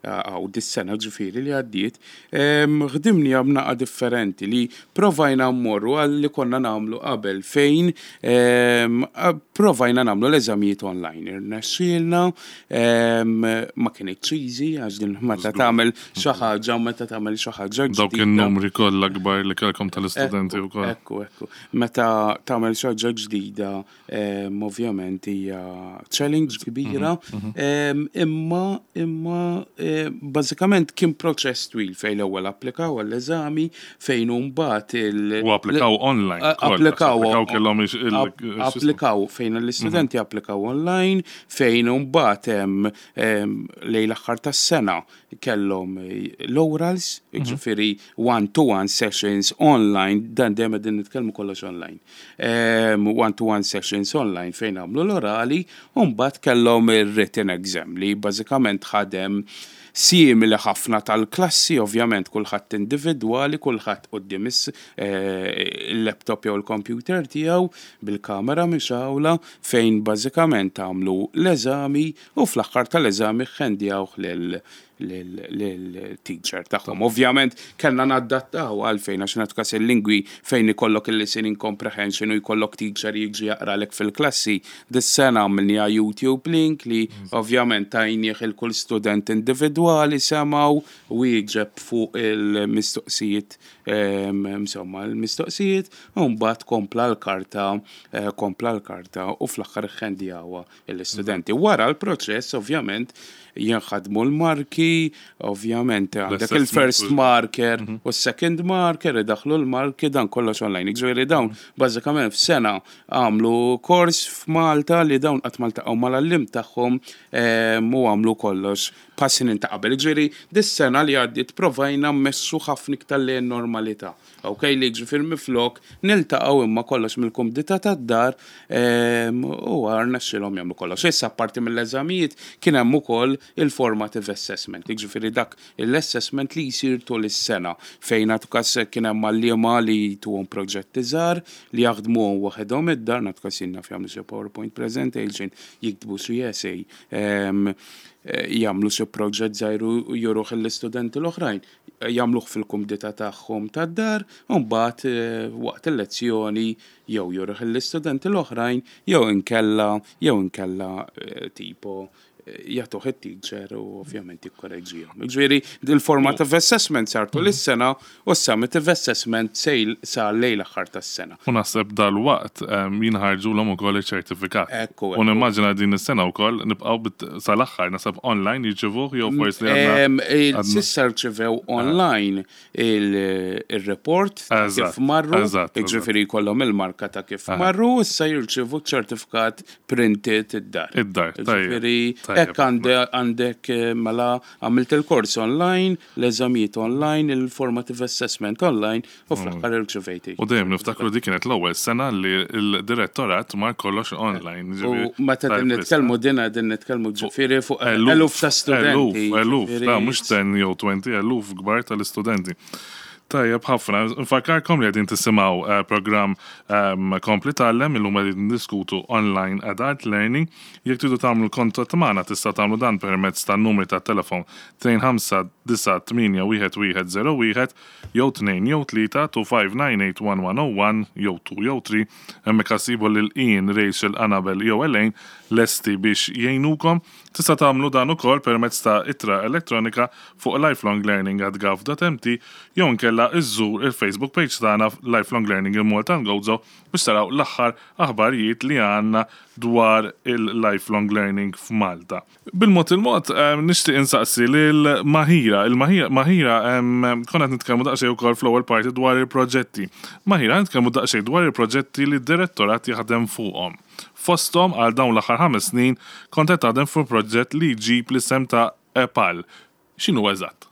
għaw dis-sena ġifieri li għaddiet, em, ħdimni b'naqra differenti li provajna mmorru għal li konna nagħmlu qabel fejn em, a- provajna nagħmlu l-eżamijiet online. Irnexxielna, em, ma kienx easy għax din meta tagħmel xi ħaġa meta tagħmel xi ħaġa
Dawk
ġdida.
in-numri kollha kbar li kellkom tal-istudenti wkoll.
Ekku, ekku. Meta tagħmel xi ħaġa ġdida, em, ovvjament hija challenge kbira, em, imma imma eh, bażikament kien proċess twil fejn l-ewwel applikaw għall-eżami, fejn mbagħad il-
U applikaw online
A-
ukoll,
Applikaw
applikaw kellhom ix- il-
app- applikaw fejn l-istudenti applikaw online, fejn mbagħad hemm em, lejn l-aħħar tas-sena kellhom eh, l-orals, ġifieri one-to-one sessions online, dan dejjem qegħdin nitkellmu kollox online. Em, One-to-one sessions online fejn għamlu l-orali, u mbagħad kellhom ir-written exam li bażikament ħadem simili ħafna tal-klassi, ovvjament kulħadd individwali, kulħadd quddiem is- eh, il-laptop jew il-computer tiegħu bil-kamera mixgħula, fejn bażikament għamlu l-eżami u fl-aħħar tal-eżami ħendjawh lil lil-teacher tagħhom. Ovvjament kellna naddattaw għalfejn, għax nagħtu kas il-lingwi fejn ikollok il-listening comprehension u jkollok teacher jiġi jaqralek fil-klassi. Dis-sena għamilniha YouTube link li ovvjament tajnieh il kull student individwali, semgħu u jieġeb fuq il-mistoqsijiet, em, insomma l-mistoqsijiet, u mbagħad kompla l-karta eh, kompla l-karta u fl-aħħar ħendjawha l-istudenti. Wara l-proċess ovvjament Jinħadmu l-marki, ovvjament għandek il-first marker u s-second marker, idaħlu l-marki, dan kollox online. Ġifieri dawn, bażikament f'sena għamlu kors f'Malta li dawn qatt ma ltaqgħu mal-għalliem tagħhom u għamlu kollox passin ta' qabel. Ġifieri, dis-sena li għaddiet provajna mmexxu ħafna iktar lejn normalità. Ok, li ġifieri minflok niltaqgħu imma kollox mill-kumdità tad-dar u rnexxielhom jagħmlu kollox. Issa parti mill-eżamijiet kien hemm ukoll il-formative assessment. Ġifieri dak l-assessment li jsir tul is-sena fejn nagħtu kas kien hemm għalliema li tuhom proġetti żgħar li jaħdmuhom waħedhom id-dar, nagħtu kas jien naf jagħmlu xi PowerPoint presentation, jiktbu xi essay, jagħmlu xi proġett żgħir u juruh l-istudenti l-oħrajn, jagħmluh fil-kumdità tagħhom tad-dar, u mbagħad waqt il-lezzjoni jew juruh l-istudenti l-oħrajn jew inkella jew inkella tipo jagħtuh it-teacher u ovvjament jikkoreġihom. Ġifieri il-formative assessment sar tul is-sena u s-summative assessment sejl sa lejn l-aħħar tas-sena.
U naħseb dal-waqt jinħarġulhom ukoll iċ-ċertifikat.
Ekku,
U nimmaġina din is-sena wkoll nibqgħu sal-aħħar naħseb online jirċevuh jew forsi għandna.
S'issa rċevew online il-report ta' kif marru, ġifieri jkollhom il-marka ta' kif marru, issa jirċevu ċertifikat printed id-dar.
Id-dar,
Ġifieri hekk għandek mela għamilt il-kors online, l-eżamijiet online, il-formative assessment online u fl-aħħar irċevejti.
U dejjem niftakru dik kienet l-ewwel sena li l-direttorat mar kollox online.
U meta din nitkellmu dina din nitkellmu ġifieri fuq eluf ta' studenti.
Eluf, eluf, ta' mhux ten jew twenty, eluf kbar tal-istudenti. Tajjeb ħafna, nfakkarkom li qegħdin tisimgħu programm Kompli Tgħallem, illum qegħdin diskutu online adult learning. Jekk tridu tagħmlu kontatt magħna tista' tagħmlu dan permezz tan-numri tat-telefon tnejn ħamsa disa' tmienja wieħed wieħed zero wieħed jew tnejn jew tlieta two five nine eight one one oh one jew two jew three. Hemmhekk ħassibu lil Ian, Rachel, Annabel jew Elaine lesti biex jgħinukom. Tista' tagħmlu dan ukoll permezz ta' ittra elettronika fuq lifelonglearning at gov dot m t jew inkella iżżur il-Facebook page tagħna Lifelong Learning in Malta and Gozo biex taraw l-aħħar aħbarijiet li għandna dwar il-lifelong learning f'Malta. Bil-mod il-mod, em, nixtieq insaqsi lil Mahira. Il-Mahira, Mahira, em, konna qed nitkellmu daqsxejn ukoll fl-ewwel parti dwar il-proġetti. Mahira, nitkellmu daqsxejn dwar il-proġetti li d-direttorat jaħdem fuqhom. Fosthom għal dawn l-aħħar ħames snin kont qed taħdem fuq proġett li jġib l-isem ta' EPAL. X'inhu eżatt?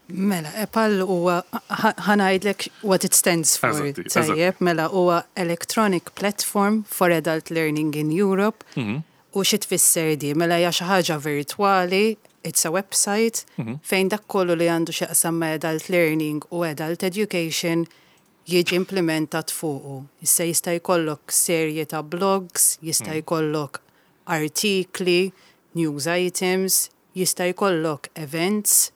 Mela, EPAL huwa ħa ngħidlek what it stands for.
Eżatti, eżatt.
Tajjeb, mela huwa Electronic Platform for Adult Learning in Europe.
Mhm.
U xi tfisser di? Mela hija xi ħaġa virtwali, it's a website,
Mhm.
fejn dak kollu li għandu x'jaqsam ma' adult learning u adult education jiġi implementat fuqu. Issa jista' jkollok serje ta' blogs, jista'
Mhm.
jkollok artikli, news items, jista' jkollok events,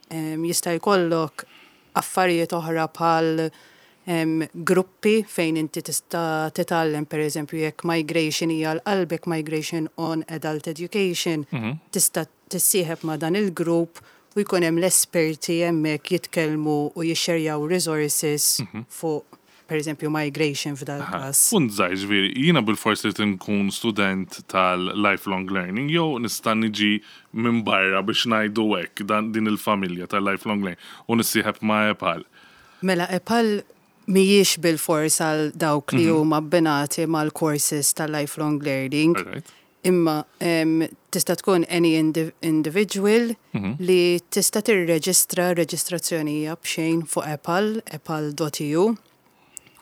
em, jista' jkollok affarijiet oħra bħal em, gruppi fejn inti tista' titgħallem, per eżempju, jekk migration hija l-qalbek, migration on adult education,
Mhm.
tista' tissieħeb ma' dan il-grupp u jkun hemm l-esperti hemmhekk jitkellmu u jixxerjaw resources
Mhm.
fuq per eżempju migration f'dal każ.
Punt żgħir, ġifieri, jiena bil-forsi li nkun student tal-lifelong learning jew nista' niġi minn barra biex ngħidu hekk dan din il-familja tal-lifelong learning u nissieħeb ma' EPAL.
Mela EPAL mhijiex bil-fors għal dawk li
Mhm.
huma abbinati mal-courses tal-lifelong learning.
Alright.
Imma em, tista' tkun any indi individual
Mhm.
li tista' tirreġistra reġistrazzjoni hija b'xejn fuq EPAL, epal dot e u.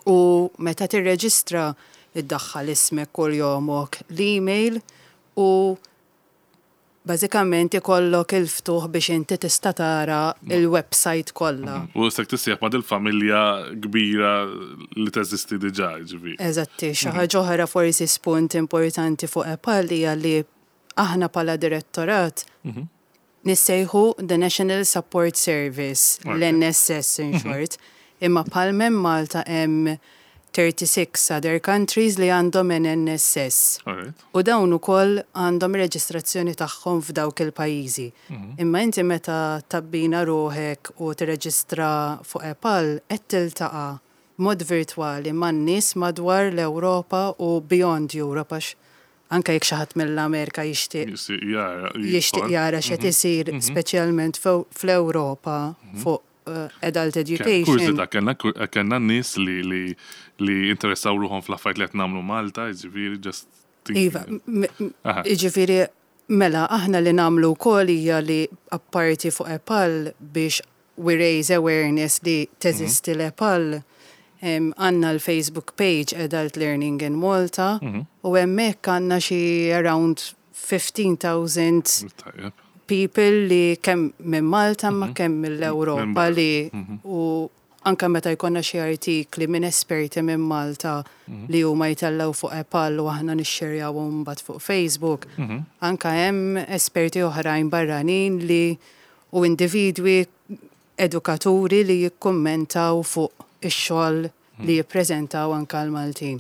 U meta tirreġistra iddaħħal ismek kull jomok l-email u bażikament ikollok il-ftuħ biex inti tista' tara il-website kollha.
U se tissieħeb ma' dil-familja kbira li teżisti diġà, ġifieri.
Eżatti, xi ħaġa oħra forsi spunt importanti fuq EPAL hija li aħna bħala direttorat
Mhm.
nissejħu the National Support Service,
Ok.
l-N S S in
Mhm.
short, imma bħal minn Malta hemm thirty-six other countries li għandhom an N S S.
Alright.
U dawn ukoll għandhom reġistrazzjoni tagħhom f'dawk il-pajjiżi.
Mhm.
Imma inti meta tabbina ruħek u tirreġistra fuq EPAL qed tiltaqa' mod virtwali man-nies madwar l-Ewropa u beyond Europe għax Anka jekk xi ħadd mill-Amerika jixtieq
Jixtieq jara.
jixtieq jara x'qed isir speċjalment fo- fl-Ewropa fuq uh, adult education.
Kurżità, kellna kellna nies li li li interessaw ruħhom fl-affarijiet li qed nagħmlu Malta, jiġifieri just thinking.
Iva, m- m-
Aha.
jiġifieri mela aħna li nagħmlu wkoll hija li apparti fuq EPAL biex we raise awareness li teżisti l-EPAL em, għandna l-Facebook page Adult Learning in Malta u hemmhekk għandna xi around fifteen thousand
Tajjeb.
people li kemm minn Malta ma kemm
Minn
mill-Ewropa
barra.
li u anka meta jkollna xi artikli minn esperti minn Malta li huma jtellgħu fuq EPAL u aħna nixxerjaw mbagħad fuq Facebook. Anka hemm esperti oħrajn barranin li u individwi edukaturi li jikkummentaw fuq ix-xogħol li jippreżentaw anka l-Maltin.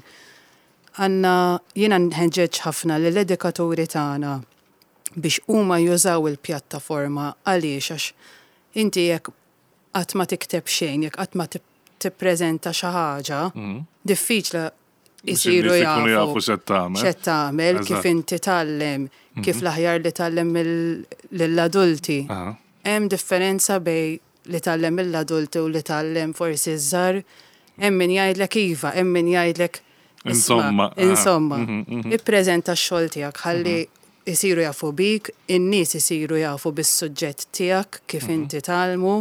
Għandna jiena nħeġġeġ ħafna lill-edukaturi tagħna biex huma jużaw il-pjattaforma. Għaliex? Għax inti jekk qatt ma tikteb xejn, jekk qatt ma tip- tippreżenta xi ħaġa, diffiċli isiru
In-nies ikunu
jafu
jafu x'qed tagħmel.
x'qed tagħmel, kif
Eżatt.
inti tgħallem, kif l-aħjar li tgħallem lill-adulti.
Aha.
Hemm differenza bejn li tgħallem mill-adulti u li tgħallem forsi ż-żgħar. Hemm min jgħidlek iva, hemm min jgħidlek isma',
Insomma, aha.
Insomma,
Mhm, mhm.
ippreżenta x-xogħol tiegħek ħalli isiru jafu bik, in-nies isiru jafu bis-suġġett tiegħek kif inti tgħallmu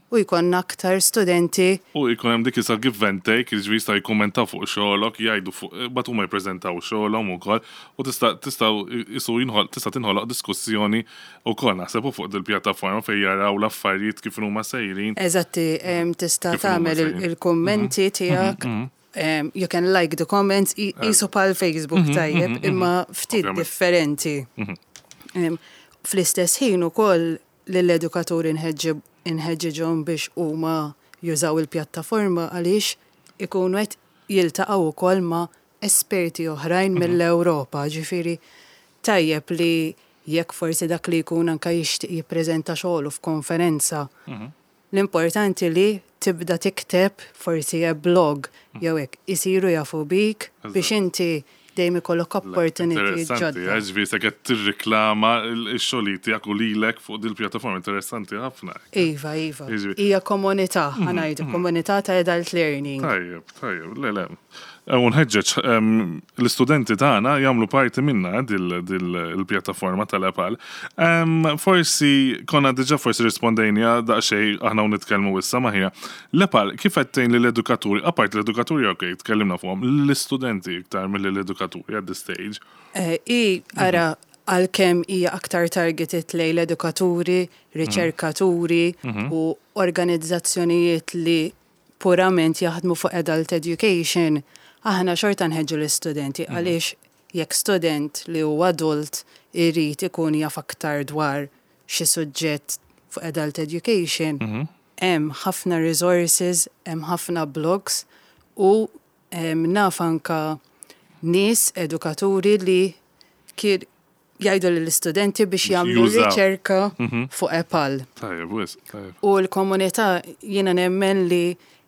u jkollna aktar studenti.
U jkun hemm dik isa give and take, jiġifieri jista' jikkummentaw fuq xogħolok, jgħidu fuq bat huma jippreżentaw xogħolhom ukoll u tista' tistgħu isu jinħol tista' tinħoloq diskussjoni wkoll naħseb fuq dil-pjattaforma fejn jaraw l-affarijiet kif huma sejrin.
Eżatti, em, tista'
Kif huma
tagħmel il-
sejrin.
il-kummenti tiegħek. em, You can like the comments, i- qisu bħal Facebook tajjeb, imma ftit
Ovvjament.
differenti. Em, Fl-istess ħin ukoll lill-edukaturi nħeġġiġhom biex huma jużaw il-pjattaforma għaliex ikunu qed jiltaqgħu wkoll ma' esperti oħrajn mill-Ewropa, ġifieri tajjeb li jekk forsi dak li jkun anka jixtieq jippreżenta xogħlu f'konferenza. L-importanti li tibda tikteb forsi a blog jew hekk isiru jafu bik biex inti dejjem ikollok opportunity
Interessanti,
ġodda.
ġifieri se qed tirriklama x-xogħol tiegħek u lilek fuq dil-pjattaforma, interessanti ħafna.
Iva, iva.
Jiġifieri-
Hija komunità, ħa ngħidu, komunità ta' adult learning.
Tajjeb, tajjeb, le, le. U nħeġġeġ em, l-istudenti tagħna jagħmlu parti minna dil- dil- il-pjattaforma tal-EPAL. Em, Forsi konna diġà forsi rispondejna daqsxejn aħna u nitkellmu issa ma ħija. L-EPAL kif qed tgħin lill-edukaturi, apart l-edukaturi, ok, tkellimna fuqhom, l-istudenti iktar mill-edukaturi at this stage?
Eh, I, ara, għalkemm hija aktar targeted lejn l-edukaturi, riċerkaturi u organizzazzjonijiet li purament jaħdmu fuq adult education, aħna xorta nħeġġu l-istudenti għaliex jekk student li huwa adult irid ikun jaf aktar dwar xi suġġett fuq adult education, hemm ħafna resources, hemm ħafna blogs u em, naf anka nies edukaturi li kir jgħidu lill-istudenti biex jagħmlu
Jużaw.
riċerka fuq EPAL.
Tajjeb, wisq, tajjeb.
U l-komunità jiena nemmen li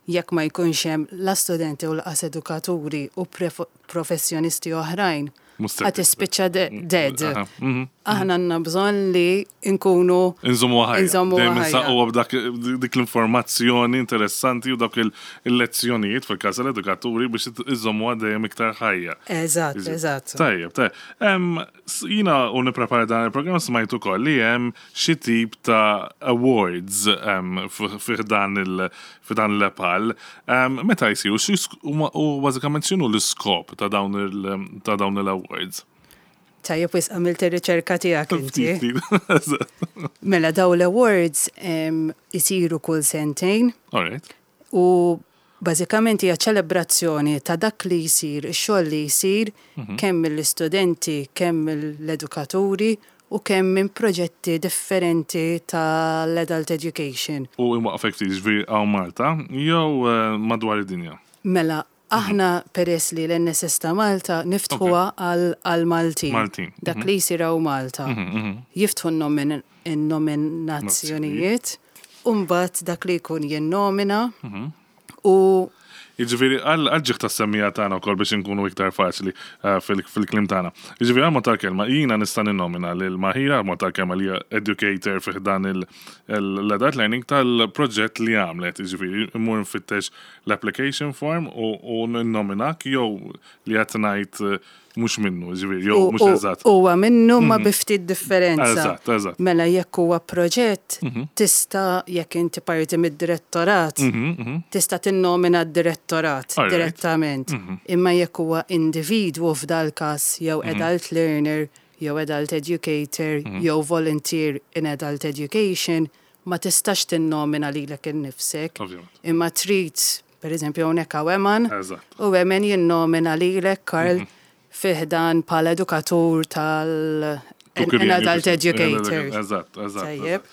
jekk ma jkunx hemm la studenti u lanqas edukaturi u pref- professjonisti oħrajn,
Mhux se
ħa tispiċċa de- dead.
Aha, mhm.
Aħna għandna bżonn li nkunu
Inżommu ħajja.
Inżommu
Dejjem
ħajja.
insaqquha b'dak dik l-informazzjoni interessanti u dak il- il-lezzjonijiet fil-każ tal-edukaturi biex iżommuha dejjem iktar ħajja.
Eżatt, eżatt.
Tajjeb, tajjeb. Em, s- Jiena u nipprepara dan il-programm smajtu ukoll li hemm xi tip ta' awards em, f- fi dan il- fi dan l-EPAL. Em, Meta jsiru, xi sk- huma- u bażikament x'inhu l-iskop ta' dawn il- ta' dawn il-awards?
Tajjeb wisq, għamilt ir-riċerka tiegħek inti.
Ftit, ftit. Eżatt.
Mela daw l-awards em, isiru kull sentejn
All right.
u bażikament hija ċelebrazzjoni ta' dak li jsir, ix-xogħol li jsir kemm mill-istudenti, kemm mill-edukaturi u kemm minn proġetti differenti tal-adult education.
U imwaqfek ftit, ġifieri hawn Malta jew eh, madwar id-dinja?
Mela, aħna peress li l-N S S ta' Malta niftħuha għal għal Maltin.
Maltin,
Dak li jsir hawn Malta. Jiftħu n-nomin- in-nominazzjonijiet, u mbagħad dak li jkun jinnomina U
Jiġifieri għal ġieħ tas-semmiegħa tagħna wkoll biex inkunu iktar faċli eh, fil-kliem tagħna. Jiġifieri għal mod tal-kelma jiena nista' ninnomina lil Mahira, mod tal-kelma li hija educator fih dan l-adult learning tal-proġett li għamlet. Jiġifieri immur nfittex l-application form u ninnominak jew li qed ngħid eh, mhux minnu, jiġifieri jew mhux eżatt.
Huwa minnu ma bi ftit differenza.
Eżatt, eżatt.
Mela jekk huwa proġett, tista' jekk inti parti mid-direttorat, tista' tinnomina d-direttorat
Alright.
direttament. Imma jekk huwa individwu f'dal każ jew adult learner, jew adult educator, jew volunteer in adult education, ma tistax tinnomina lilek innifsek.
Ovvjament.
Imma trid, per eżempju, hawnhekk hawn Eman,
Eżatt.
u Eman jinnomina lilek Karl fi ħdan bħala edukatur tal an adult educator.
Eżatt, eżatt.
Tajjeb.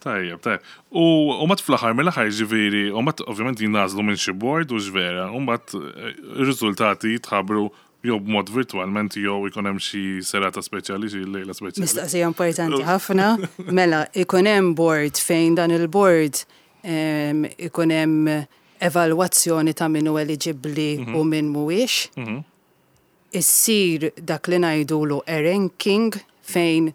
Tajjeb, tajjeb. U u mbagħad fl-aħħar mill-aħħar ġifieri, u mbagħad ovvjament jingħażlu minn xi board u x'vera, u mbagħad eh, ir-riżultati jitħabbru jew b'mod virtualment jew ikun hemm xi serata speċjali, xi lejla speċjali.
Mistaqsija importanti ħafna. Mela, ikun hemm board fejn dan il-board em, ikun hemm evalwazzjoni ta' min hu eligibbli u min mhuwiex. Issir dak li ngħidulu a ranking fejn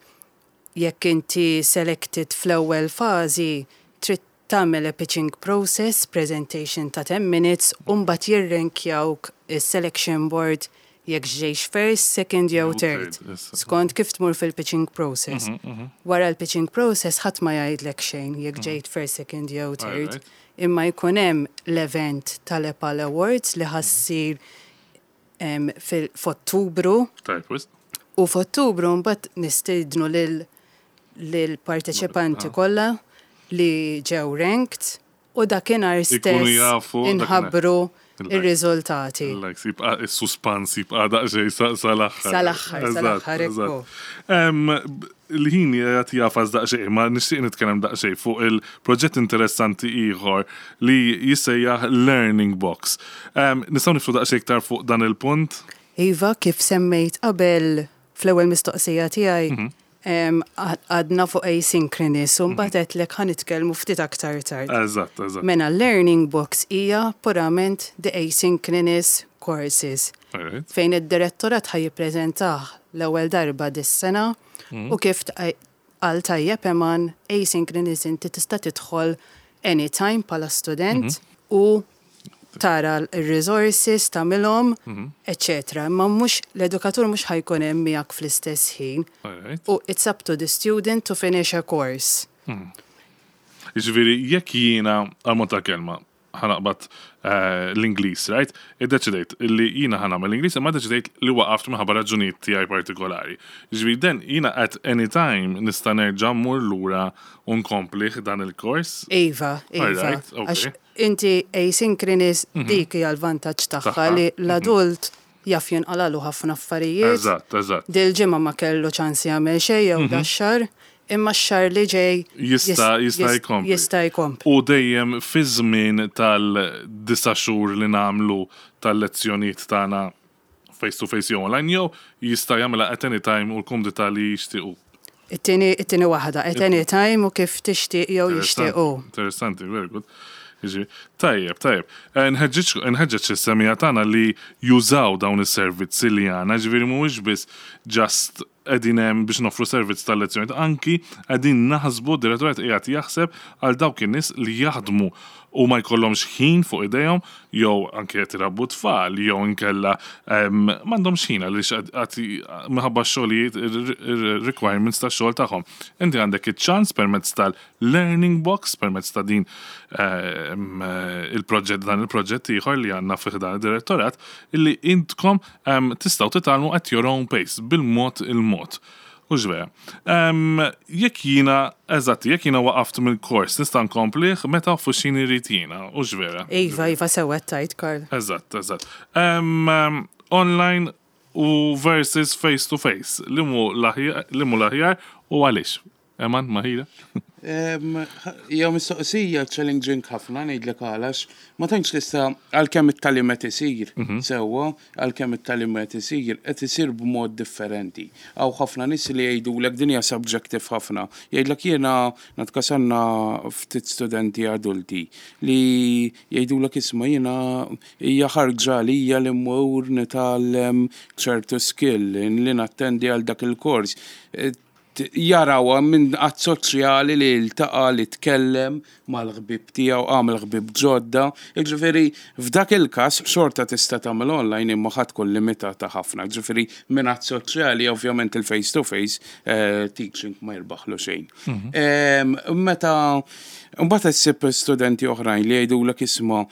jekk inti selected fl-ewwel fażi trid tagħmel a pitching process, presentation ta' ten minutes, u mbagħad jirrenkjawk is-selection board jekk ġejx first, second jew
Jew
third.
third, issa.
Skont kif tmur fil-pitching process. Wara l-pitching process ħadd ma jgħidlek xejn jekk ġejt first, second jew third.
Alright.
Imma jkun hemm l-event tal-EPAL Awards li ħa ssir em, fil- f'Ottubru
Tajjeb, wisq.
u f'Ottubru mbagħad nistiednu lil lil parteċipanti kollha li ġew ranked u dakinhar
Ikunu
stess
jafu dakinhar.
inħabbru
Il-likes.
ir-riżultati.
Likes, jibqa' is-suspans jibqa' daqsxejn sa- sal-aħħar.
Sal-aħħar, sal-aħħar, ekku.
Em, b- Il-ħin qed jagħfas daqsxejn, ma nixtieq nitkellem daqsxejn fuq il-proġett interessanti ieħor li jissejjaħ Learning Box. Em, Nistgħu niftħu daqsxejn iktar fuq dan il-punt?
Iva, kif semmejt qabel fl-ewwel mistoqsija tiegħi, em, għadna fuq asynchronous u mbagħad għedtlek ħa nitkellmu ftit aktar tard.
Eżatt, eżatt.
Mela Learning Box hija purament the asynchronous courses
Alright.
fejn id-direttorat ħa jippreżentah l-ewwel darba dis-sena u kif għal tajjeb Eman, asynchronous inti tista' tidħol anytime bħala student u tara l-resources tagħmilhom, eċċetera. Imma mhux l-edukatur mhux ħa jkun hemm miegħek fl-istess ħin.
Alright.
U it's up to the student to finish a course.
Jiġifieri, jekk jiena għal mod ta' kelma ħa naqbad eh, l-Ingliż, right? Iddeċidejt li jiena ħa nagħmel l-Ingliż, imma iddeċidejt li waqaft minħabba raġunijiet tiegħi partikolari. Jiġifieri, then jiena at any time nista' nerġa' mmur lura u nkomplih dan il-kors.
Iva, iva.
Alright, okay.
Għax inti asynchronous dik hija l-vantaġġ tagħha
Tagħha,
li l-adult jaf jinqalalu ħafna affarijiet.
Eżatt, eżatt.
Dil-ġimgħa ma kellu ċans jagħmel xejn jew dax-xahar, imma x-xahar li ġej
Jista'
jis-
jista'
jis-
jkompli.
Jista' jkompli.
U dejjem fi żmien tal-disa' xhur li nagħmlu tal-lezzjonijiet tagħna face to face jew online jew jista' jagħmilha at any time u l-kumdità li jixtiequ.
It-tieni it-tieni waħda, at any time u kif tixtieq jew jixtiequ.
Interessanti, very good. Jiġi, tajjeb, tajjeb. Eh, Nħeġġeġ nħeġġeġ is-semmiegħa tagħna li jużaw dawn is-servizzi li għandna, ġifieri mhuwiex biss just qegħdin hemm biex noffru servizz tal-lezzjoni, anki qegħdin naħsbu, direttorat qiegħed jaħseb għal dawk in-nies li jaħdmu u ma jkollhomx ħin fuq idejhom jew anke qed irabbu tfal jew inkella em, m'għandhomx ħin għaliex qed minħabba x-xogħlijiet ir-requirements tax-xogħol tagħhom. Inti għandek iċ-ċans permezz tal-Learning Box, permezz ta' din em, il-proġett dan il-proġett ieħor li għandna fih dan id-direttorat illi intkom em, tistgħu titgħallmu at your own pace bil-mod il-mod. U vera. Um, jekk jiena, eżatt, jekk jiena waqaft mill-kors, nista' nkomplih meta fuq x'ħin irrid jiena, u vera.
Iva, iva sewwa tajt, Karl.
Eżatt, eżatt. Um, um, online u versus face to face. Liema hu l-aħjar u għaliex? Eman, Mahira?
Hija mistoqsija challenging ħafna, ngħidlek għalax ma tantx tista', għalkemm it-tagħlim qed isir mhm. sewwa, għalkemm it-tagħlim qed isir, qed isir b'mod differenti. Hawn ħafna nies li jgħidulek din hija subjective ħafna. Jgħidlek jiena natkasanna ftit studenti adulti li jgħidulek, "Isma', jiena hija ħarġa lija li mmur nitgħallem ċertu skill, li nattendi għal dak il-kors." Jaraw minn att soċjali li ltaqa', li tkellem mal-ħbib tiegħu, għamel ħbib ġodda. Ġifieri f'dak il-każ xorta tista' tagħmel online imma ħa tkun limitata ħafna. Ġifieri minn att soċjali ovvjament il-face to face eh, teaching ma jirbaħlu xejn. Mhm. Meta mbagħad issib studenti oħrajn li jgħidulek, "Isma',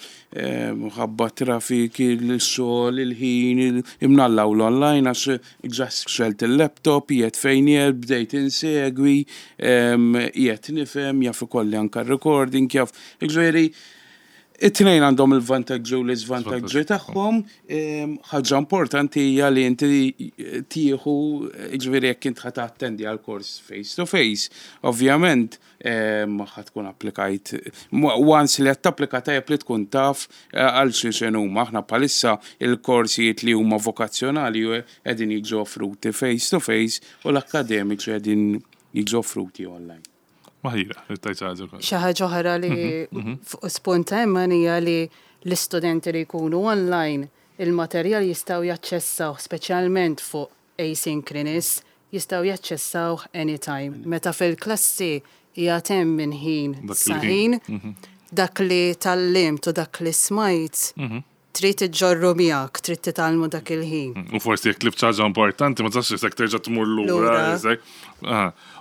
ħabba trafik, il-xogħol, il-ħin, imnallaw l-online għax ġa xgħelt il-laptop, qiegħed fejn jgħid, bdejt insegwi, qiegħed nifhem, jaf ikolli anka recording, jaf." Ġifieri, it-tnejn għandhom il-vantaġġi u l-iżvantaġġi tagħhom. Ħaġa importanti hija li inti tieħu, ġifieri jekk int ħa tattendi għal kors face to face, ovvjament ħa tkun applikajt. Once li qed tapplika, tajjeb li tkun taf eh, għal xi huma. Aħna bħalissa il-korsijiet li huma vokazzjonali qegħdin jiġu offruti face to face u l-akkademiċi qegħdin jiġu offruti online.
Maħira, tajt ħaġa.
Xi ħaġa oħra li mhm, mhm. fuq spunta imma hija li l-istudenti li jkunu online il-materjal jistgħu jaċċessaw, speċjalment fuq asynchronous, jistgħu jaċċessaw anytime. Meta fil-klassi hija hemm minn ħin sa ħin, mhm. dak li tgħallimt u dak li smajt trid iġġorru miegħek, trid titgħallmu dak il-ħin.
U forsi jekk tlift ħaġa importanti, ma tistax isek terġa' tmur lura.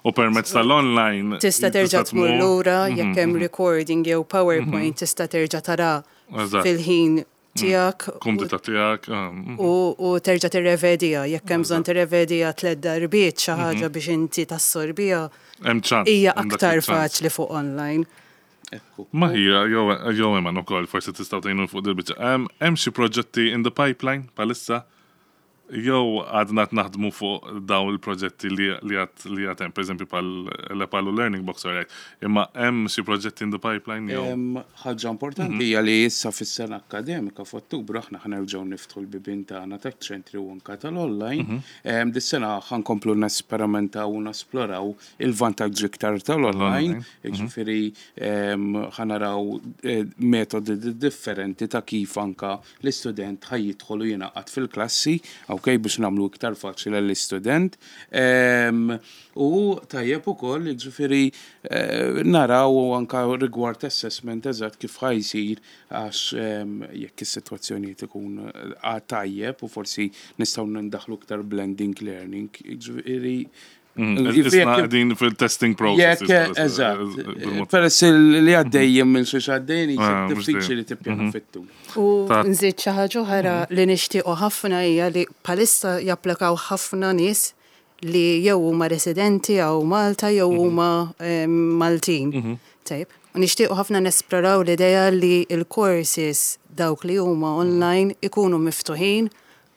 U permezz tal-online.
Tista' terġa' tmur lura jekk hemm mhm, recording jew PowerPoint, mhm. tista' terġa' tara fil-ħin tiegħek.
Kumdità tiegħek.
U terġa' tirrevedija, jekk hemm bżonn tirrevedija tliet darbiet xi ħaġa biex inti tassorbija. Hija aktar faċli fuq online.
Maħira, jew Eman ukoll forsi tistgħu tgħinu fuq dil-biċċa. Hemm xi proġetti in the pipeline bħalissa jew għadna naħdmu fuq dawn il-proġetti li għad li għad hemm, pereżempju bħal l-EPALE u Learning Box, right? Imma hemm xi proġetti in the pipeline jew?
Ħaġa importanti hija li issa fis-sena akkademika f'Ottubru aħna ħa nerġgħu niftħu l-bibien tagħna taċ-ċentri u anka tal-online. Dis-sena ħa nkomplu nesperimentaw u nesploraw il-vantaġġi iktar tal-online, jiġifieri ħa naraw eh, metodi differenti ta' kif anka l-istudent ħa jidħol u jingħaqad fil-klassi, ok, biex nagħmlu iktar faċli l-istudent. U tajjeb ukoll, ġifieri eh, naraw anka rigward assessment eżatt kif ħa jsir, għax jekk is-sitwazzjonijiet ikun eh, tajjeb u forsi nistgħu nindaħlu iktar blending learning, ġifieri
Mm, Isna qegħdin fil-testing process.
Jekk, eżatt. Peress li għaddejjem minn xi għaddejn, ah, diffiċli li tippjana mhm. fit-tul.
U nżid xi ħaġa oħra mhm. li nixtiequ ħafna hija li bħalissa japplikaw ħafna nies li jew huma residenti hawn Malta jew mhm. huma Maltin. Tajb. U nixtiequ ħafna nesploraw l-idea li l-courses dawk li huma online ikunu miftuħin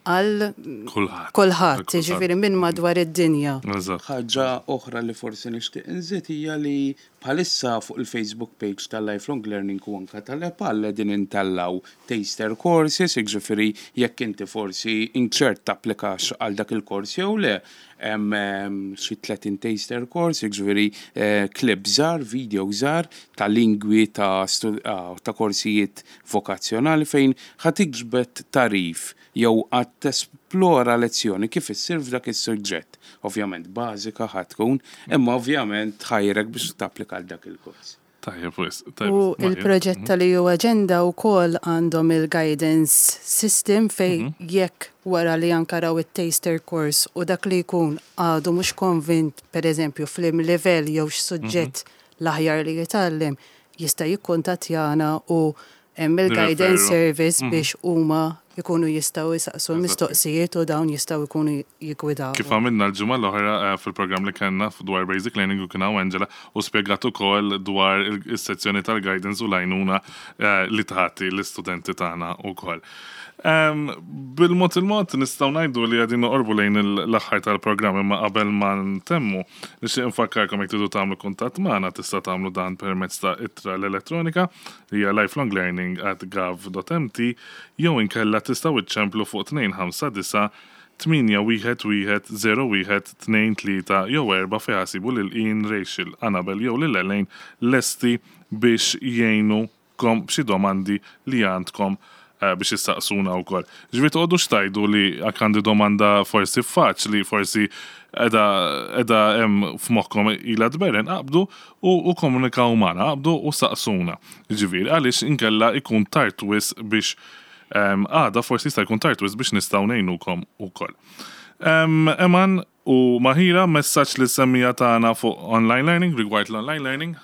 għal
kulħadd.
Kulħadd, ġifieri minn madwar id-dinja.
Ħaġa oħra li forsi nixtieq inżid hija li bħalissa fuq il-Facebook page tal-Lifelong Learning u anka tal-EPALE din intellgħu taster courses, ġifieri jekk inti forsi inċert tapplikax għal dak il-kors jew le, hemm xi tletin taster course, ġifieri eh, clip żgħar, video żgħar ta' lingwi, ta' ah, ta' korsijiet vokazzjonali fejn ħa tiġbed tagħrif jew għad tesplora lezzjoni kif issir f'dak is-suġġett. Ovvjament bażika ħa tkun, imma ovvjament tħajrek biex tapplika għal dak il-kors.
Tajjeb, wis.
U il-proġett tal-E U Agenda u koll għandhom il-guidance system fej mhm. jekk wara li anka raw il-taster course u dak li jkun għadu mhux konvint, per eżempju, f'liem level jew x'suġġett mhm. l-aħjar li jitgħallem, jista' jikkuntattjana u hemm il-guidance service mhm. biex huma Ikunu jistgħu jisaqsu l-mistoqsijiet u dawn jistgħu jkunu jiggwidaw.
Kif għamilna l-ġimgħa l-oħra eh, fil-programm li kellna dwar Basic Learning u kien hawn Angela u spjegat ukoll dwar is-sezzjoni tal-guidance u l-għajnuna eh, li tagħti l-istudenti tagħna wkoll. Bil-mod il-mod nistgħu ngħidu li qegħdin noqorbu lejn l-aħħar tal-programm, imma qabel ma ntemmu nixtieq nfakkarkom, jekk tridu tagħmlu kuntatt magħna, tista' tagħmlu dan permezz ta' ittra l-elettronika li hija lifelonglearning at gov dot M T jew inkella tistgħu iċċemplu fuq tnejn ħamsa disa' tmienja wieħed wieħed żero wieħed tnejn tlieta jew erba' fejn ħa ssibu lil Ian, Rachel, Annabel jew lil Elaine lesti biex jgħinukom b'xi domandi li għandkom eh, biex issaqsuna wkoll. Ġifieri toqgħodux tgħidu li għak għandi domanda forsi faċli, forsi qiegħda qiegħda hemm f'moħħkom ilha tberren, aqbdu u, u komunikaw magħna, aqbdu u saqsuna. Ġifieri għaliex inkella ikun tard wisq biex em, għada forsi jista' jkun tard wisq biex nistgħu ngħinukom ukoll. Um, Eman u Mahira, messaġġ lis-semmiegħa tagħna fuq online learning, rigward l-online learning?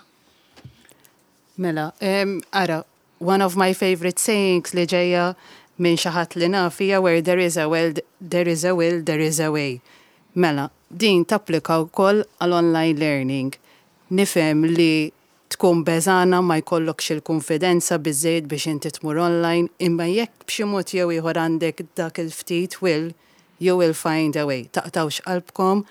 Mela, um, ara, one of my favorite sayings li ġejja minn xi ħadd li naf hija "Where there is a will, there is a will, there is a way." Mela, din tapplika wkoll għal online learning. Nifhem li tkun beżgħana, ma jkollokx il-konfidenza biżejjed biex inti tmur online, imma jekk b'xi mod jew ieħor għandek dak il-ftit will, you will find a way. Taqtawx qalbkom,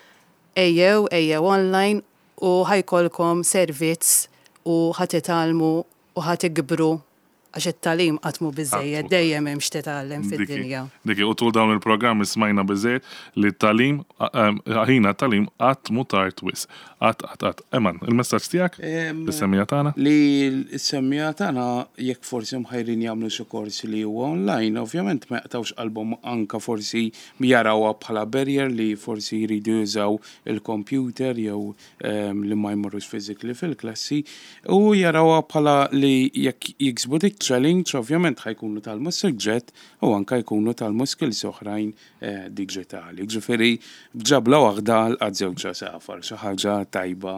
ejjew, ejjew online u ħa jkollkom servizz u ħa titgħallmu u ħa tikbru, għax it-tagħlim qatt mhu biżejjed,
Qatt mhu.
Dejjem hemm x'titgħallem fid-dinja.
Diki, u tul dawn il-programmi smajna biżejjed li t-tagħlim, ħina t-tagħlim qatt mhu tard wisq. Qatt, qatt, qatt. Eman, il-messaġġ tiegħek?
Em,
Lis-semmiegħa tagħna?
Li s-semmiegħa tagħna, jekk forsi mħajrin jagħmlu xi korsi li huwa online, ovvjament ma jaqtawx qalbhom, anka forsi jarawha bħala barrier li forsi jridu jużaw il-computer jew em, li ma jmorrux physically fil-klassi u jarawha bħala li jekk jiksbu dik challenge, ovvjament ħa jkunu tgħallmu suġġett u anka jkunu tgħallmu skills oħrajn eh, digitali. Ġifieri b'ġabla waħda laqat żewġ għasafar, xi ħaġa tajba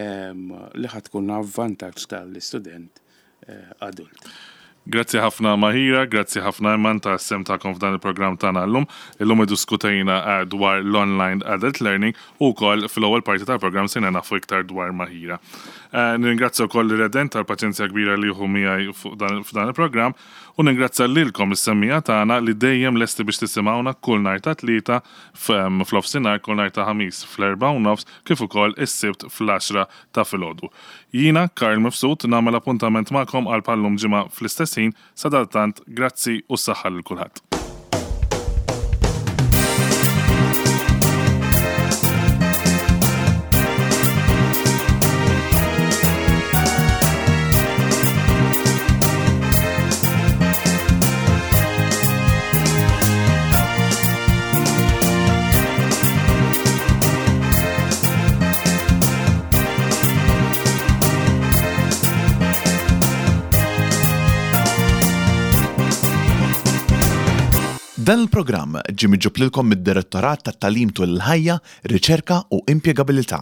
em, li ħa tkun avvantaġġ tal-istudent eh, adult.
Grazzi ħafna Mahira, grazzi ħafna Eman tas-sehem tagħkom f'dan il-programm tagħna llum. Illum iddiskutejna eh, dwar l-online adult learning u wkoll fil-ewwel parti tal-programm sirna nafu iktar dwar Mahira. Eh, Nirringrazzja wkoll ir-Redent tal-paċenzja kbira li jieħu miegħi fuq dan f'dan il-programm u ningrazzja lilkom is-semmiegħa tagħna li dejjem lesti biex tisimgħuna kull nhar ta' Tlieta f'nofsinhar, kull nhar ta' Ħamis fl-erba' u nofs, kif ukoll is-Sibt fl-għaxra ta' filgħodu. Jiena Karl Mifsud nagħmel appuntament magħkom għal bħal-lum ġimgħa fl-istess ħin. Sadattant, grazzi u s-saħħa lil kulħadd.
Dan il-programm ġie miġjub lilkom mid-Direttorat tat-Tagħlim tul il-Ħajja, Riċerka u Impjegabilità.